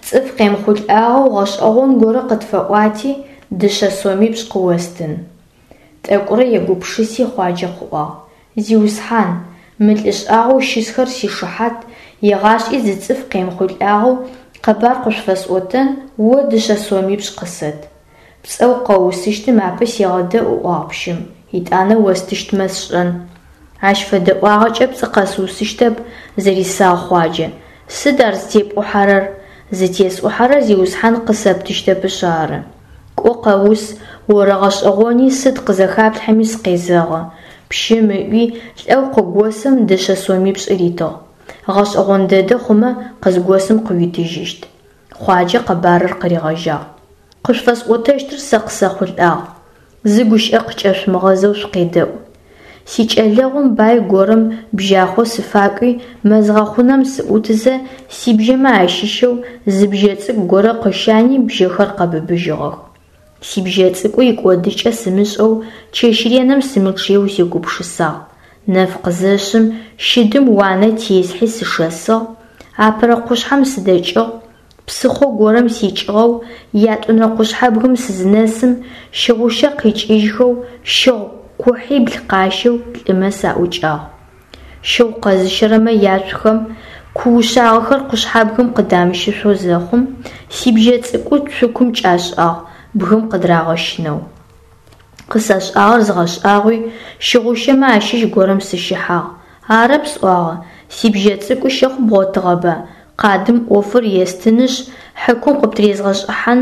«Цӏыф къемыхъулӏагъэу гъэшӏэгъон горэ къытфэӏуати, дышъэ сомипшӏ къыостын». Тӏэкӏурэ егупшыси Хъуаджэ къыӏуагъ: «Зиусхьан, мы лӏы шӏагъоу щысхэр сишыхьат, егъашӏи зы цӏыф къемыхъулӏагъэу къэбар къышъуфэсӏотэн, о дышъэ сомипшӏ къысэт». «Пцӏэу къэуусыщтым апэ сегъэдэӏу, – ыӏуагъ пщым, – етӏанэ остыщтмэ сшӏэн». «Ащ фэдэ ӏуагъэкӏэ пцӏы къэсыусыщтэп, – зэрисагъ Хъуаджэ. «Сыд ар зытепӏухьэрэр?» «Зытесӏухьэрэр, зиусхьан, къысэптыщтэпышъ ары». «Кӏо къэус, орэгъэшӏэгъони сыд къызэхаплъхьэми сыкъезэгъы», – пщым ыӏуи, лӏэу къыгосым дышъэ сомипшӏ ритыгъ. «Гъэшӏэгъон дэдэ хъумэ, къызгосым къыуитыжьыщт». Хъуаджэ къэбарыр къыригъэжьагъ. Къышъуфэсӏотэщтыр сэ къысэхъулӏагъ. Зы гущыӏэ къыкӏэшъумыгъэзэу шъукъедэӏу. Сикӏэлэгъум бай горэм бжьахъо сыфакӏуи, мэз гъэхъунэм сыӏутызэ, сибжьэмэ ащыщэу зы бжьэ цӏыкӏу горэ къыщани бжьэхэр къэбыбыжьыгъэх. Сибжьэ цӏыкӏу икӏодыкӏэ сымышӏэу чэщ реным сымычъыеу сегупшысагъ. Нэф къызэшъым, щыдым уанэ теслъхьи сышэсыгъ, апэрэ къушъхьэм сыдэкӏыгъ, псыхъо горэм сикӏыгъэу, ятӏонэрэ къушъхьэбгым сызынэсым, щыгъущэ къикӏыжьхэу, щыгъу кухьибл къащэу лӏымэ саӏукӏагъ. Щыгъу къэзыщэрэмэ яцухэм ку ушъагъэхэр къушъхьэбгым къыдамыщышъоу зэхъум, сибжьэ цӏыкӏу цукум кӏашӏагъ, бгым къыдырагъэщынэу. Къысашӏагъэр згъэшӏагъуи, щыгъущэмэ ащыщ горэм сыщыхьагъ. Арэп сӏуагъэ, сибжьэ цӏыкӏу щыгъу бгъотыгъэба, къадым ӏофыр естынышъ, хьакум къыптырезгъэшӏыхьан,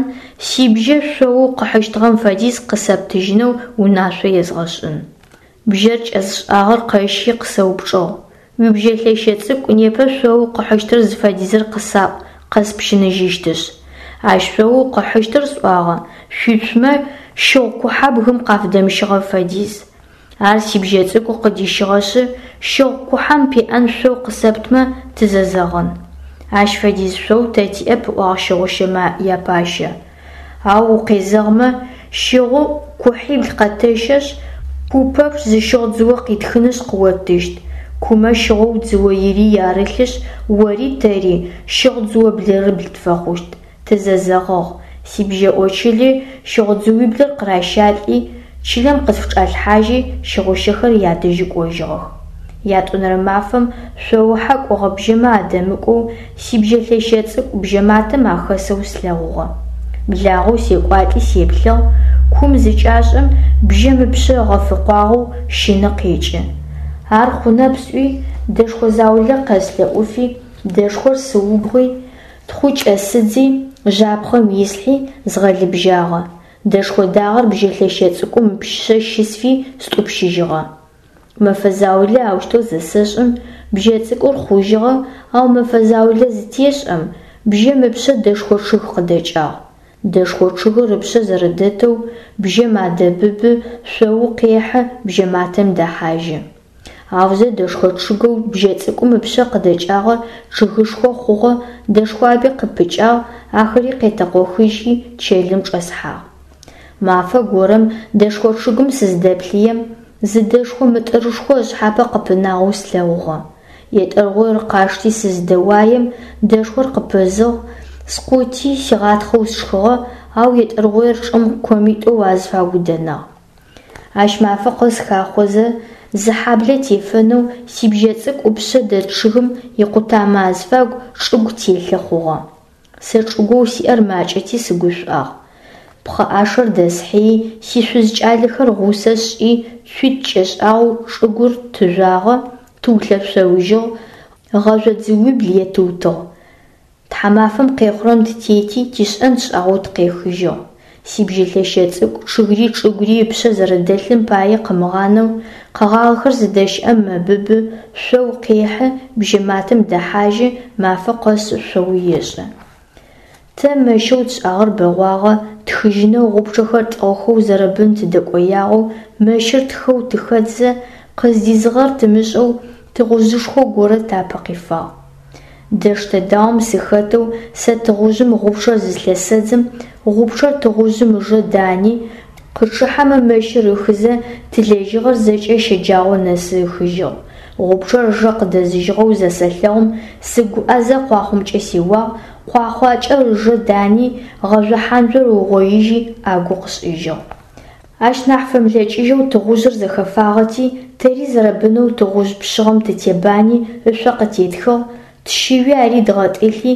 сибжьэ шъоу къыхьыщтыгъэм фэдиз къысэптыжьынэу унашъо езгъэшӏын. Бжьэр кӏэзышӏагъэр къэщи къысэупчӏыгъ: «Уибжьэ лъэщэ цӏыкӏу непэ шъоу къыхьыщтыр зыфэдизыр къысаӏу, къэспщыныжьыщтышъ». Ащ шъоу къыхьыщтыр сӏуагъэ, шъуицумэ щыгъу кухьэ бгым къафыдэмыщыгъэ фэдиз. Ар сибжьэ цӏыкӏу къыдищыгъэшъы, щыгъу кухьэм пеӏэн шъоу къысэптмэ, тызэзэгъын. Ащ фэдиз шъоу тэ тиӏэп, ыӏуагъ щыгъущэмэ япащэ. Ау укъезэгъмэ, щыгъу кухьибл къэтэщэшъ, ку пэпчъ зы щыгъу дзыо къитхынышъ къыоттыщт. Кумэ щыгъоу дзыо ирий арылъышъ, ори тэри щыгъу дзыо блырыбл тфэхъущт. Тызэзэгъыгъ. Сибжьэ очыли щыгъу дзыуиблыр къыращалӏи, чылэм къысфычӏалъхьажьи, щыгъущэхэр ядэжьы кӏожьыгъэх. Ятӏонэрэ мафэм шъоухьэ кӏогъэ бжьэмэ адэмыкӏоу сибжьэ лъэщэ цӏыкӏу бжьэматэм ахэсэу слъэгъугъэ. Благъэу секӏуалӏи сеплъыгъ, кум зыкӏашӏэм бжьэм ыпшъэ гъэфыкъуагъэу щыны къекӏы. Ар хъунэп сӏуи, дэшхо заулэ къэслъэӏуфи, дэшхор сыубгъуи, тхъу кӏэсыдзи, жьапхъэм ислъхьи, згъэлыбжьагъэ. Дэшхо дагъэр бжьэ лъэщэ цӏыкӏум ыпшъэ щысфи стӏупщыжьыгъэ. Мэфэ заулэ аущтэу зэсэшӏым, бжьэ цӏыкӏур хъужьыгъэ, ау мэфэ заулэ зытешӏэм, бжьэм ыпшъэ дэшхо чъыг къыдэкӏагъ. Дэшхо чъыгыр ыпшъэ зэрэдэтэу бжьэм адэбыбы, шъоу къехьы, бжьэматэм дэхьажьы. Аузэ дэшхо чъыгэу бжьэ цӏыкӏум ыпшъэ къыдэкӏагъэр чъыгышхо хъугъэ, дэшхуаби къыпыкӏагъ, ахэри къетэкъохыжьхи чэлым чӏэсхьагъ. Мафэ горэм дэшхо чъыгым сыздэплъыем, зы дэшхо мытӏырышхо ышъхьапэ къыпынагъэу слъэгъугъэ. Етӏыргъуир къасшти сыздэуаем, дэшхор къыпызыгъ, скъути, сигъатхъэу сшхыгъэ, ау етӏыргъуир чӏым комитӏоу азыфагу дэнагъ. Ащ мафэ къэс хахъозэ, зы хьаблэ тефэнэу сибжьэ цӏыкӏу ыпшъэ дэт чъыгым икъутамэ азыфагу чӏыгу телъы хъугъэ. Сэ чӏыгоу сиӏэр макӏэти сыгушӏуагъ. Пхъэӏашэр дэсхьыи, сишъуз кӏалэхэр гъусэ сшӏи, цуитӏу кӏэшӏагъэу чӏыгур тыжъуагъэ, тыулъэшъоужьыгъ, гъэжъо дзыуибл етыутыгъ. Тхьамафэм къехъурэм тытети, тишӏэн тшӏагъэу тыкъехыжьыгъ. Сибжьэ лъэщэ цӏыкӏу чъыгри чӏыгури ыпшъэ зэрэдэлъым пае къымыгъанэу, къэгъагъэхэр зыдэщыӏэм мэбыбы, шъоу къехьы, бжьэматэм дэхьажьы, мафэ къэс шъоу ешӏы. Тэ мэщэу тшӏагъэр бэгъуагъэ, тхыжьынэу гъупчъэхэр тӏыгъхэу зэрэбын тыдэкӏоягъэу, мэщыр тхэу тыхэтзэ, къыздизыгъэр тымышӏэу тыгъужъышхо горэ тапэ къифагъ. Дэштэ даом сыхэтэу сэ тыгъужъым гъупчъэр зылъэсэдзым, гъупчъэр тыгъужъым ыжэ дани, къычъыхьэмэ мэщыр ыхызэ, тылэжьыгъэр зэкӏэ щэджагъо нэсы ыхыжьыгъ. Гъупчъэр ыжэ къыдэзыжьыгъэу зэсэлъэгъум, сыгуӏэзэ къуахъомкӏэ сеуагъ, къуахъуакӏэр ыжэ дани, гъэжъо хьанжъор ыугъоижьи, ӏэгу къышӏыжьыгъ. Ащ нахь фэмылъэкӏыжьэу тыгъужъыр зэхэфагъэти, тэри зэрэбынэу тыгъужъ пшъыгъэм тытебани, ышъо къытетхыгъ, тщыуи ари дгъэтӏылъи,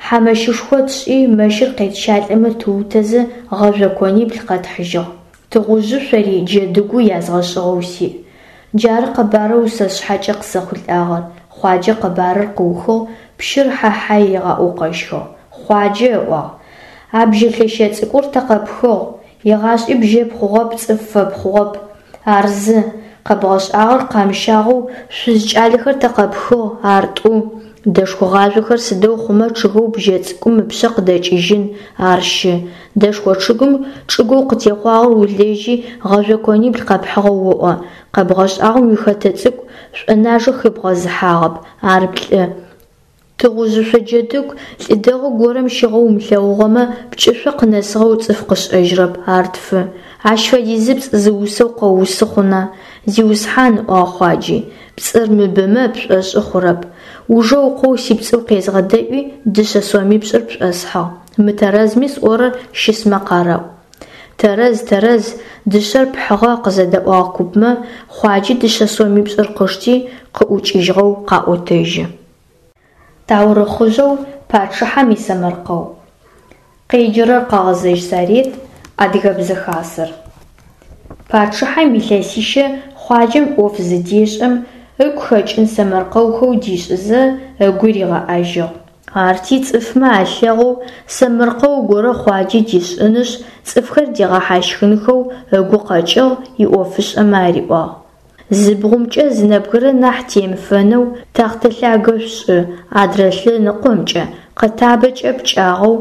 хьамэщышхо тшӏи, мэщыр къетщалӏэмэ тыутэзэ, гъэжъо конибл къэтхьыжьыгъ. Тыгъужъышъори джэдыгу язгъэшӏыгъэу сиӏ. Джары къэбарэу сэ сшъхьэкӏэ къысэхъулӏагъэр. Хъуаджэ къэбарыр къыухыгъ, пщыр хьэ-хьай ригъаӏоу къэщхыгъ. Хъуаджэ ыӏуагъ: А бжьэ лъэщэ цӏыкӏур тэ къэпхыгъ, егъашӏи бжьэ пхъугъэп, цӏыф фэпхъугъэп. Ар зы. Къэбгъэшӏагъэр къамыщагъэу шъуз кӏалэхэр тэ къэпхыгъ, ар тӏу. Дэшхо гъажъохэр сыдэу хъумэ чъыгэу бжьэ цӏыкӏум ыпшъэ къыдэкӏыжьын, ар щы. Дэшхо чъыгым чӏыгоу къытехъуагъэр улэжьи, гъэжъо конибл къэпхьыгъэу оӏо. Къэбгъэшӏагъэм уихэтэ цӏыкӏу шӏонажэ хебгъэзыхьагъэп, ар плӏы. Тыгъужъышъо джэдыгу лӏы дэгъу горэм щыгъэу умылъэгъугъэмэ, пкӏышъо къынэсыгъэу цӏыф къышӏэжьырэп, ар тфы. Ащ фэдизыпцӏ зы усэу къэуусы хъуна? Зиусхьан, ыӏуагъ Хъуаджи, пцӏыр мыбэмэ пшӏошӏы хъурэп. Ужэ укъоу сипцӏыу къезгъэдэӏуи, дышъэ сомипшӏыр пшӏосхьыгъ. Мытэрэзми сӏорэр щысмэ къарэӏу. Тэрэз, тэрэз, дышъэр пхьыгъэ, къызэдэӏуагъ купмэ, Хъуаджи дышъэ сомипшӏыр къышти, къыӏукӏыжьыгъэу къаӏотэжьы. Таурыхъыжъэу Пачъыхьэм исэмэркъэу. Къеджэрэр Къэгъэзэжь Сарет, Адыгэбзэ Хасэр. Пачъыхьэм илъэсищэ Хъуаджэм ӏоф зыдешӏэм, ыгу хэкӏын сэмэркъэухэу дишӏызэ, ыгу ригъэӏэжьыгъ. Арти цӏыфмэ алъэгъоу сэмэркъэу горэ Хъуаджэ дишӏынышъ, цӏыфхэр дигъэхьащхынхэу ыгу къэкӏыгъ, иӏофышӏэмэ ариӏуагъ: Зы бгъумкӏэ зы нэбгырэ нахь темыфэнэу тэхътэ лъагэ шъушӏы, адрэ лъэныкъомкӏэ къэтабэкӏэ пкӏагъэу,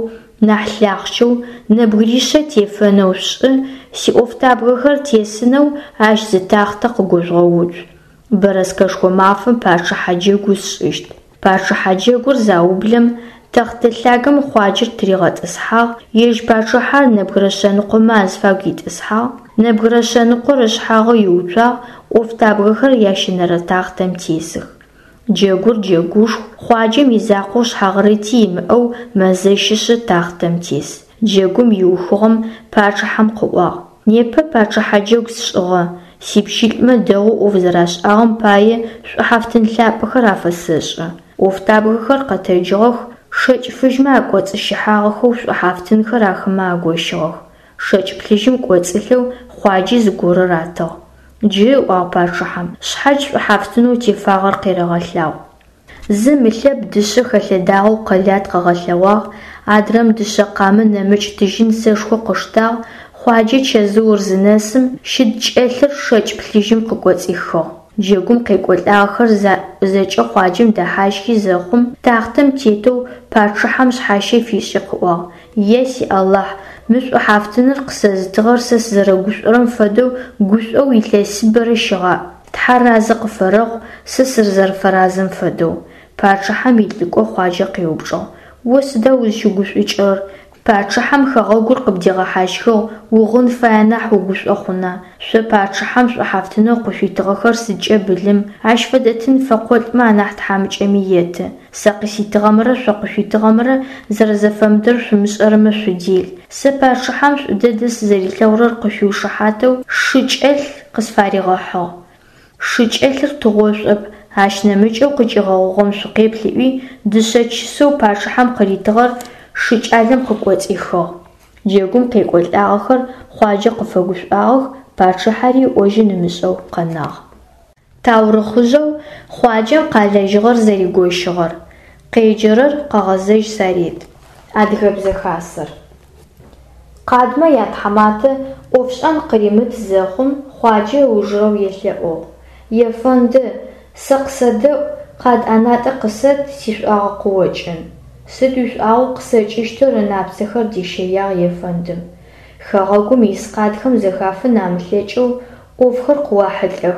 нахь лъахъчэу, нэбгыришъэ тефэнэу шъушӏы, сиӏофтабгэхэр тесынэу ащ зы тахътэ къыгожъугъэуцу. Бэрэскэшхо мафэм пачъыхьэ джэгу сшӏыщт. Пачъыхьэ джэгур заублэм, тэхътэ лъагэм Хъуаджэр тыригъэтӏысхьагъ, ежь пачъыхьэр нэбгырэ шъэныкъомэ азыфагу итӏысхьагъ, нэбгырэ шъэныкъор ышъхьагъы иуцуагъ, ӏофтабгэхэр ящэнэрэ тахътэм тесых. Джэгур джэгушху, Хъуаджэм изакъоу шъхьагърыти имыӏэу мэзэщышъы тахътэм тес. Джэгум иухыгъэм пачъыхьэм къыӏуагъ: Непэ пачъыхьэ джэгу сшӏыгъэ, сипщылӏмэ дэгъоу ӏоф зэрашӏагъэм пае шӏухьафтын лъапӏэхэр афэсэшӏы. ӏофтабгэхэр къэтэджыгъэх, Шэкӏ фыжьмэ акӏоцӏыщыхьагъэхэу шӏухьафтынхэр ахэмэ агощыгъэх. Шэкӏ плъыжьым кӏоцӏылъэу Хъуаджи зыгорэ ратыгъ. Джы, ыӏуагъ пачъыхьэм, шъхьадж шӏухьафтынэу тефагъэр къерэгъэлъагъу. Зым ылъэб дышъэ хэлъэдагъэу къэлат къыгъэлъэгъуагъ, адрэм дышъэ къамэ нэмыкӏ тыжьын сэшхо къыштагъ, Хъуаджэ чэзыур зынэсым, щыд кӏэлъыр шэкӏ плъыжьым къыкӏоцӏихыгъ. Джэгум къекӏолӏагъэхэр зэкӏэ Хъуаджэм дэхьащхи зэхъум, тахътэм тетэу пачъыхьэм шъхьащэ фишӏи къыӏуагъ: Е си Алахь, мы шӏухьафтыныр къысэзытыгъэр сэ сызэрэгушӏорэм фэдэу гушӏоу илъэсыбэрэ щыгъаӏ. Тхьэр разэ къыфэрэхъу, сэ сызэрэфэразэм фэдэу. Пачъыхьэм илӏыкӏо Хъуаджэ къеупчӏыгъ: О сыда узщыгушӏукӏырэр? Пачъыхьэм хэгъэгур къыбдигъэхьащхыгъ, угъын фае нахь угушӏо хъуна? Шъо пачъыхьэм шӏухьафтынэу къышъуитыгъэхэр сыдкӏэ былым, ащ фэдэ тын фэкъолӏмэ анахь тхьамыкӏэми еты. Сэ къыситыгъэмрэ шъо къышъуитыгъэмрэ зэрэзэфэмыдэр шъумышӏэрэмэ шъудел. Сэ пачъыхьэм шӏу дэдэ сызэрилъэгъурэр къышъуиушыхьатэу шы кӏэлъ къысфаригъэхьыгъ. Шы кӏэлъыр тыгъошӏоп, ащ нэмыкӏэу къыкӏигъэгъугъэм шъукъеплъ ыӏуи, дышъэ чысэу пачъыхьэм къыритыгъэр шы кӏалэм къыкӏоцӏихыгъ. Джэгум къекӏолӏагъэхэр Хъуаджэ къыфэгушӏуагъэх, пачъыхьэри ыӏожьын ымышӏэу къэнагъ. Таурыхъыжъэу Хъуаджэм къалэжьыгъэр зэригощыгъэр. Къеджэрэр Къэгъэзэжь Сарет. Адыгэбзэ хасэр. Къадмэ ятхьаматэ ӏофшӏэн къыримыт зэхъум, Хъуаджэ ыужырэу елъэӏугъ: Ефэнды, сэ къысэдэӏу, къад ӏэнатӏэ къысэт, сишӏуагъэ къыокӏын. Сыд уишӏуагъэу къысэкӏыщтыр ынапцэхэр дищэягъ ефэндым. Хэгъэгум ис къадхэм зэхафын амылъэкӏэу ӏофхэр къыуахьылӏэх,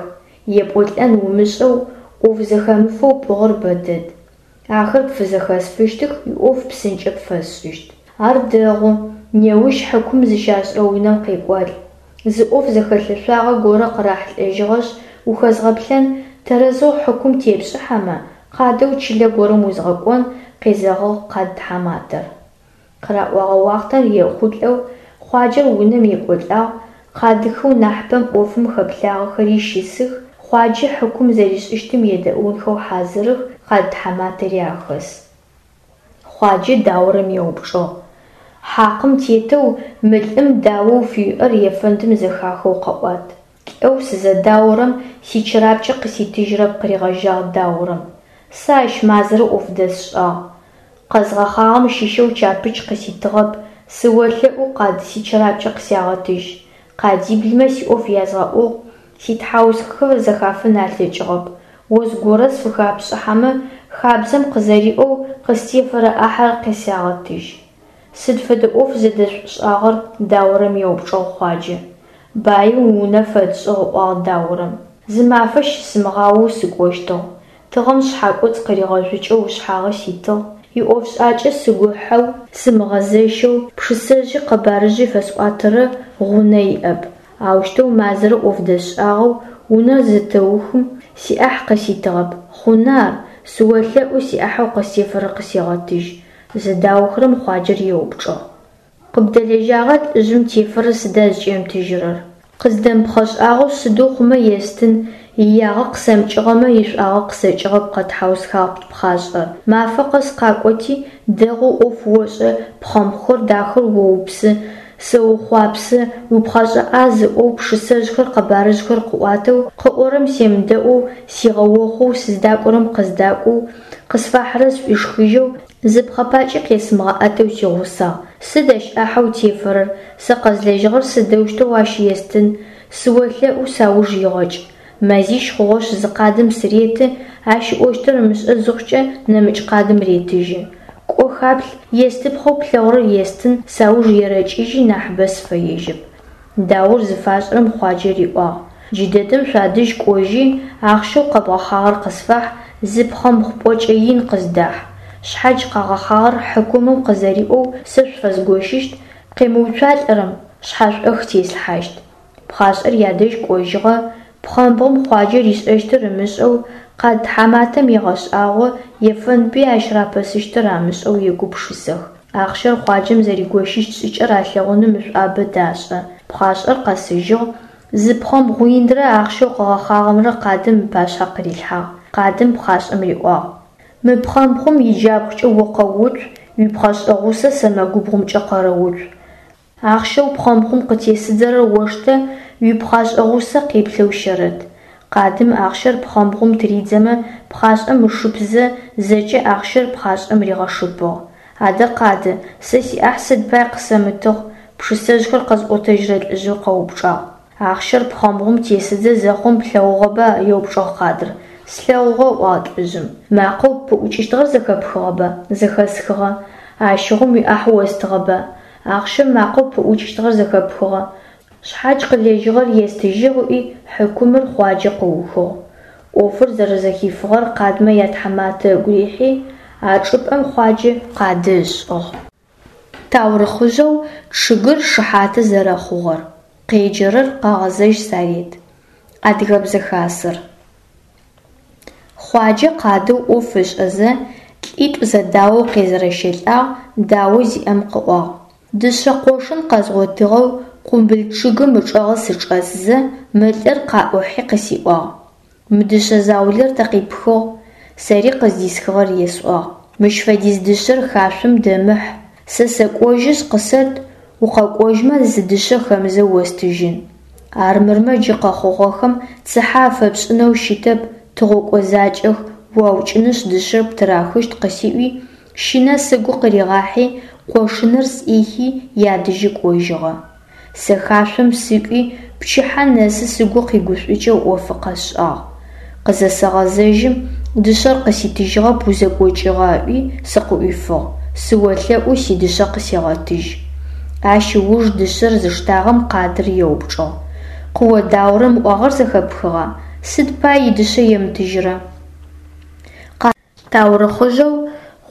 епӏолӏэн умышӏэу, ӏоф зэхэмыфэу пӏыгъыр бэдэд. Ахэр пфызэхэсфыщтых, уиӏоф псынкӏэ пфэсшӏыщт. Ар дэгъу, неущ хьыкум зыщашӏырэ унэм къекӏуалӏ. Зы ӏоф зэхэлъэшъуагъэ горэ къырахьылӏэжьыгъэшъ, ухэзгъэплъэн, тэрэзэу хьыкум тепшӏыхьэмэ, къадэу чылэ горэм узгъэкӏон, къезэгъыгъ къад тхьаматэр. Къыраӏогъэ уахътэм ехъулӏэу Хъуаджэр унэм екӏолӏагъ, къадыхэу нахьыпэм ӏофым хэплъагъэхэри щысых, Хъуаджэ хьыкум зэришӏыщтым едэӏунхэу хьазырых, къад тхьаматэри ахэс. Хъуаджэ даорэм еупчӏыгъ: Хьакъым тетэу мы лӏым даоу фыуиӏэр ефэндым зэхахэу къэӏуат. Лӏэу сызэдаорэм сичырапкӏэ къыситыжьырэп, къыригъэжьагъ даорэм. Сэ ащ мазэрэ ӏоф дэсшӏагъ. Къэзгъэхъагъэм щыщэу чапыч къыситыгъэп, сыолъэӏу, къад, сичырапкӏэ къысягъэтыжь. Къадиблымэ сиӏоф язгъэӏугъ, ситхьаусхэ зэхафын алъэкӏыгъэп. О зыгорэ сфыхапшӏыхьэмэ, хабзэм къызэриӏоу, къыстефэрэ ӏахьэр къысягъэтыжь. Сыд фэдэ ӏоф зэдэшъушӏагъэр? Даорэм еупчӏыгъ Хъуаджэ. Баим унэ фэтшӏыгъ, ыӏуагъ даорэм. Зы мафэ щысымыгъаоу сыкӏощтыгъ. Тыгъэм сшъхьакӏоцӏ къыригъэжъукӏэу ышъхьагъы ситыгъ, иӏофшӏакӏэ сыгу ыхьэу, сымыгъэзэщэу, пшысэжъи къэбарыжъи фэсӏуатэрэ гъунэ иӏэп. Аущтэу мазэрэ ӏоф дэсшӏагъэу унэр зытэухым, сиӏахь къыситыгъэп. Хъуна ар? Сыолъэӏу, сиӏахьэу къыстефэрэр къысегъэтыжь. Зыдаохэрэм Хъуаджэр еупчӏыгъ: Къыбдэлэжьагъэ лӏыжъым тефэрэр сыда зыкӏемытыжьырэр? Къыздэмыпхъэшӏагъэу сыдэу хъумэ естын, иягъэ къысэмыкӏыгъэмэ, ишӏуагъэ къысэкӏыгъэп, къэтхьаусхагъ пхъашӏэр. Мафэ къэс къакӏоти, дэгъоу ӏоф ошӏэ, пхъэмбгъухэр дахэу оупсы, сыохъуапсэ, упхъэшӏэ ӏаз ыӏоу пшысэжъхэр къэбарыжъхэр къыӏуатэу, къыӏорэм семыдэӏоу, сигъэохъоу, сыздакӏорэм къыздакӏоу, къысфахьырэр сшӏуишхыжьэу, зы пхъэ пакӏи къесымыгъэӏэтэу сигъусагъ. Сыд ащ ӏахьэу тефэрэр, сэ къэзлэжьыгъэр сыдэущтэу ащ естын, сыолъэӏу, сауж игъэкӏ. Мэзищ хъугъэшъ зы къадым сыреты, ащ ыӏощтыр ымышӏэ зыхъукӏэ нэмыкӏ къадым ретыжьы. Кӏо хаплъ, естыпхъэу плъэгъурэр естын, сауж ерэкӏыжьи нахьыбэ сыфэежьэп. Даор зыфашӏырэм Хъуаджэ риӏуагъ: Джыдэдэм шъуадэжь кӏожьи, ахъщэу къэбгъэхъагъэр къысфахь, зы пхъэмбгъу пӏокӏэ ин къыздахь. Шъхьадж къагъэхъагъэр хьыкумым къызэриӏоу сэ шъуфэзгощыщт, къемыуцуалӏэрэм шъхьэшӏох теслъхьащт. Пхъашӏэр ядэжь кӏожьыгъэ, пхъэмбгъум Хъуаджэ ришӏэщтыр ымышӏэу, къад тхьаматэм егъэшӏагъо, ефэндми ащ рапэсыщтыр амышӏэу егупшысэх. Ахъщэр Хъуаджэм зэригощыщт шӏыкӏэр алъэгъуным ышӏуабэ дашӏэ. Пхъашӏэр къэсыжьыгъ, зы пхъэмбгъу инрэ ахъщэу къыгъэхъагъэмрэ къадым ыпашъхьэ къырилъхьагъ. Къадым пхъашӏэм риӏуагъ: Мы пхъэмбгъум иджабгъукӏэ о къэуцу, уипхъэшӏэ гъусэ сэмэгубгъумкӏэ къэрэуцу. Ахъщэу пхъэмбгъум къытесыдзэрэр оштэ, уипхъашӏэ гъусэ къеплъэу щэрэт. Къадым ахъщэр пхъэмбгъум тыридзэмэ пхъашӏэм ышыпызэ, зэкӏэ ахъщэр пхъашӏэм ригъэшыпыгъ. Адэ, Къады, сэ сиӏахь сыд пай къысэмытыгъ? Пшысэжъхэр къэзӏотэжьырэ лӏыжъыр къэупчӏагъ. Ахъщэр пхъэмбгъум тесыдзэ зэхъум плъэгъугъэба? Еупчӏыгъ Къадыр. Слъэгъугъэ, ыӏуагъ лӏыжъым. Макъэу пыӏукӏыщтыгъэр зэхэпхыгъэба? Зэхэсхыгъэ. Ащыгъум уиӏахь остыгъэба? Ахъщэм макъэу пыӏукӏыщтыгъэр зэхэпхыгъэ. Шъхьадж къылэжьыгъэр естыжьыгъ ыӏуи, хьыкумыр Хъуаджэ къыухыгъ. Ӏофыр зэрэзэхифыгъэр къадмэ ятхьаматэ ыгу рихьи, а чӏыпӏэм Хъуаджэ къады ышӏыгъ. Таурыхъыжъэу чъыгыр шыхьаты зэрэхъугъэр. Къеджэрэр Къэгъэзэжь Сарет. Адыгэбзэ хасэр. Хъуаджэ къадэу ӏоф ышӏэзэ, лӏитӏу зэдаоу къезэрэщэлӏагъ, дао зиӏэм къыӏуагъ: Дышъэ къошын къэзгъотыгъэу къумбыл чъыгым ычӏэгъы сычӏэсзэ, мы лӏыр къаӏухьи къысиӏуагъ: Мы дышъэ заулэр тэ къипхыгъ? Сэри къыздисхыгъэр есӏуагъ. Мыщ фэдиз дышъэр хашъом дэмыхь. Сэ сэкӏожьышъ къысэт, укъэкӏожьмэ зы дышъэ хэмызэу остыжьын. Армырмэ джы къэхъугъэхэм цыхьэ афэпшӏынэу щытэп, тыгъокӏо закӏэх, уаукӏынышъ дышъэр птырахыщт къысиӏуи, щынэ сыгу къыригъахьи, къошыныр сӏихи ядэжьы кӏожьыгъэ. Сэ хашъом сыкӏуи, пчыхьэ нэсы сыгу къигушӏукӏэу ӏофы къэсшӏагъ. Къызэсэгъэзэжьым, дышъэр къыситыжьыгъэп узэкӏокӏыгъа ыӏуи сыкъыӏуифыгъ. Сыолъэӏу сидышъэ къысегъэтыжь. Ащ ыуж дышъэр зыштагъэм къадыр еупчӏыгъ: Къыодаорэм ыӏуагъэр зэхэпхыгъа? Сыд пай идышъэ емытыжьырэ? Таурыхъыжъэу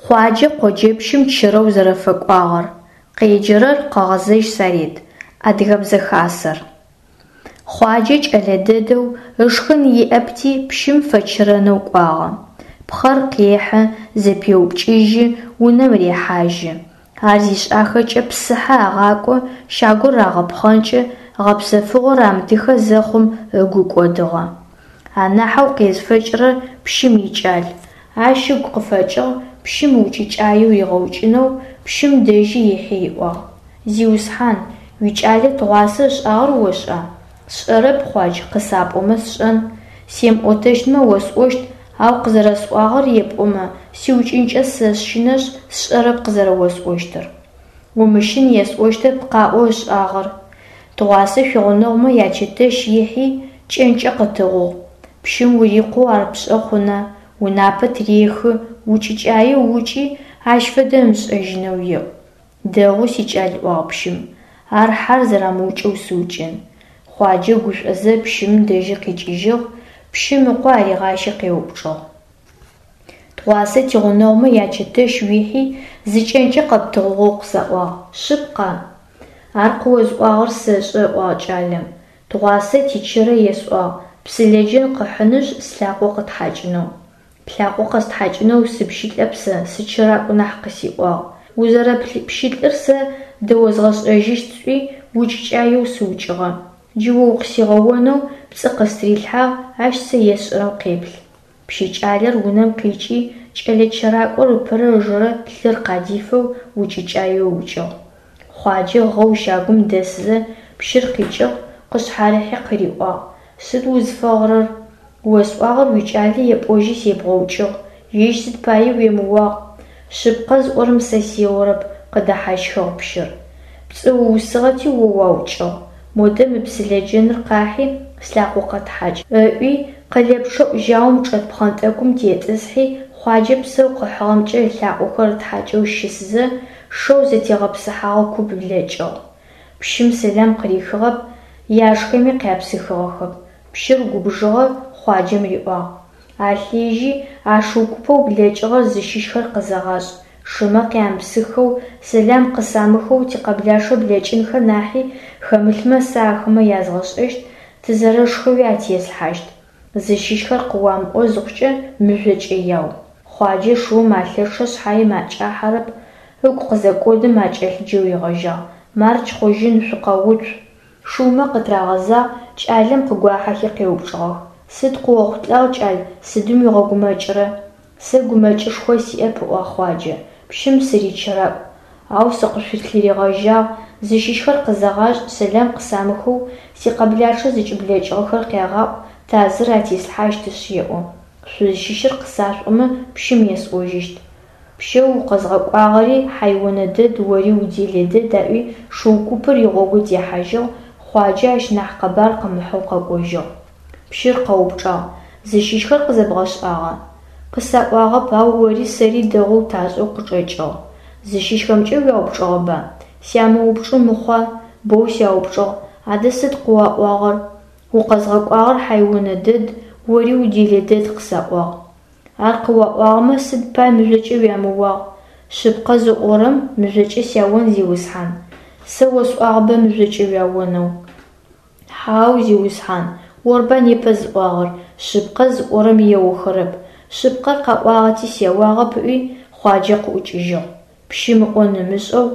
Хъуаджэ къоджэпщым чырэу зэрэфэкӏуагъэр. Къеджэрэр Къэгъэзэжь Сарет. Адыгэбзэ хасэр. Хъуаджэ кӏэлэ дэдэу, ышхын иӏэпти, пщым фэчырэнэу кӏуагъэ. Пхъэр къехьы, зэпеупкӏыжьы, унэм рехьажьы. Ар зишӏахэкӏэ псыхьэ агъакӏо, щагур рагъэпхъэнкӏы, гъэпсэфыгъо рамытыхэ зэхъум ыгу кӏодыгъэ. Анахьэу къезыфэкӏырэр пщым икӏал. Ащ ыгу къыфэкӏыгъ пщым укӏыкӏаеу ригъэукӏынэу, пщым дэжьи ихьи риӏуагъ: Зиусхьан, уикӏалэ тыгъуасэ ышӏагъэр ошӏа? Сшӏэрэп, Хъуадж, къысапӏомэ сшӏэн. Семыӏотэщтмэ осӏощт, ау къызэрэсӏуагъэр епӏомэ, сиукӏынкӏэ сэщынэшъ, сшӏэрэп къызэрэосӏощтыр. Умыщын, есӏощтэп, къаӏо ышӏагъэр. Тыгъуасэ шъуигъунэгъумэ ячэтэщ ихьи, кӏэнкӏэ къытыгъугъ. Пщым урикъоу ар пшӏэ хъуна, унапэ тырехы, укӏыкӏаеу укӏи, ащ фэдэ ымышӏэжьынэу еӏу. Дэгъу, сикӏал, ыӏуагъ пщым, ар хьэр зэрамыукӏэу сыукӏын. Хъуаджэ гушӏозэ пщым дэжьы къикӏыжьыгъ, пщым ыкъо аригъащи къеупчӏыгъ: Тыгъуасэ тигъунэгъумэ ячэтэщ уихьи, зы кӏэнкӏэ къэптыгъугъэу къысаӏуагъ, шъыпкъа? Ар къыозыӏуагъэр сэшӏэ, ыӏуагъ кӏалэм. Тыгъуасэ тичырэ есӏуагъ, псылэджэн къыхьынышъ слъакъо къытхьакӏынэу. Плъакъо къэстхьакӏынэу сыпщылӏэп сэ, сычыракӏу нахь къысиӏуагъ. Узэрэпщылӏыр сэ дэозгъэшӏэжьыщт сӏуи, укӏыкӏаеу сыукӏыгъэ. Джы о укъысигъэонэу пцӏы къыстырилъхьагъ, ащ сэ есшӏэрэм къеплъ. Пщы кӏалэр унэм къикӏи, кӏэлэ чыракӏор ыпэрэ ыжэрэ лъыр къадифэу укӏыкӏаеу ыукӏыгъ. Хъуаджэ гъэу щагум дэсызэ пщыр къикӏыгъ, къышъхьарыхьи къыриӏуагъ: Сыд узфэгъырэр? Осӏуагъэр уикӏалэ епӏожьи себгъэукӏыгъ, ежь сыд пае уемыуагъ? Шъыпкъэ зыӏорэм сэ сеорэп, къыдэхьащхыгъ пщыр. Пцӏы уусыгъэти о уаукӏыгъ. Модэ мы псылэджэныр къахьи, слъакъо къэтхьакӏ, ыӏуи, къэлэпчъэӏу жьаум чӏэт пхъэнтӏэкӏум тетӏысхьи, Хъуаджэ псэу къыхьыгъэмкӏэ ылъакъохэр ытхьакӏэу щысызэ, шэу зэтегъэпсыхьагъэ куп блэкӏыгъ. Пщым сэлам къырихыгъэп, яшхэми къяпсыхыгъэхэп. Пщыр губжыгъэ, Хъуаджэм риӏуагъ: Алъежьи, а шыу купэу блэкӏыгъэр зыщыщхэр къызэгъашӏ. Шымэ къямыпсыххэу, сэлам къысамыхэу тикъэблачъэ блэкӏынхэ нахьи хэмылъмэ сэ ахэмэ язгъэшӏэщт, тызэрэшхэуи атеслъхьащт. Зыщыщхэр къыуамыӏо зыхъукӏэ мыжъокӏэ яу. Хъуаджэ шыум алъэчъэ шъхьаем акӏахьэрэп, ыгу къызэкӏодым акӏэлъыджэу ригъэжьагъ: Мардж хъужьын, шъукъэуцу! Шыумэ къытырагъэзагъ, кӏалэм къыгуахьэхи къеупчӏыгъэх: Сыд къыохъулӏагъ, кӏал, сыдым уигъэгумэкӏырэ? Сэ гумэкӏышхо сиӏэп, ыӏуагъ Хъуаджэ, пщым сыричыракӏу, ау сыкъышъулъыригъэжьагъ, зыщыщхэр къызэгъашӏ, сэлам къысамыхэу сикъэблачъэ зыкӏыблэкӏыгъэхэр къягъаӏу, тазыр атеслъхьащтышъ, еӏо. Шъузщыщыр къысашъуӏомэ, пщым есӏожьыщт. Пщэу укъэзгъэкӏуагъэри хьайонэ дэд, ори уделэ дэд, аӏуи шыу купыр игъогу техьажьыгъ, Хъуаджэ ащ нахь къэбар къымыхьэу къэкӏожьыгъ. Пщыр къэупчӏагъ: Зыщыщхэр къызэбгъэшӏагъа? Къысаӏуагъэп, ау ори сэри дэгъоу ташӏэу къычӏэкӏыгъ. Зыщыщхэмкӏэ уяупчӏыгъэба? Сямыупчӏы мыхъуа, боу сяупчӏыгъ. Адэ сыд къыуаӏуагъэр? Укъэзгъэкӏуагъэр хьайонэ дэд, ори уделэ дэд къысаӏуагъ. Ар къыуаӏуагъэмэ, сыд пай мыжъокӏэ уямыуагъ? Шъыпкъэ зыӏорэм мыжъокӏэ сяон, зиусхьан. Сэ осӏуагъэба мыжъокӏэ уяонэу. Хьау, зиусхьан, орба непэ зыӏуагъэр, шъыпкъэ зыӏорэм еохэрэп. Шъыпкъэр къаӏуагъэти сеуагъэп, ыӏуи Хъуаджэ къыӏукӏыжьыгъ. Пщым ыӏон ымышӏэу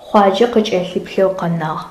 Хъуаджэ къыкӏэлъыплъэу къэнагъ.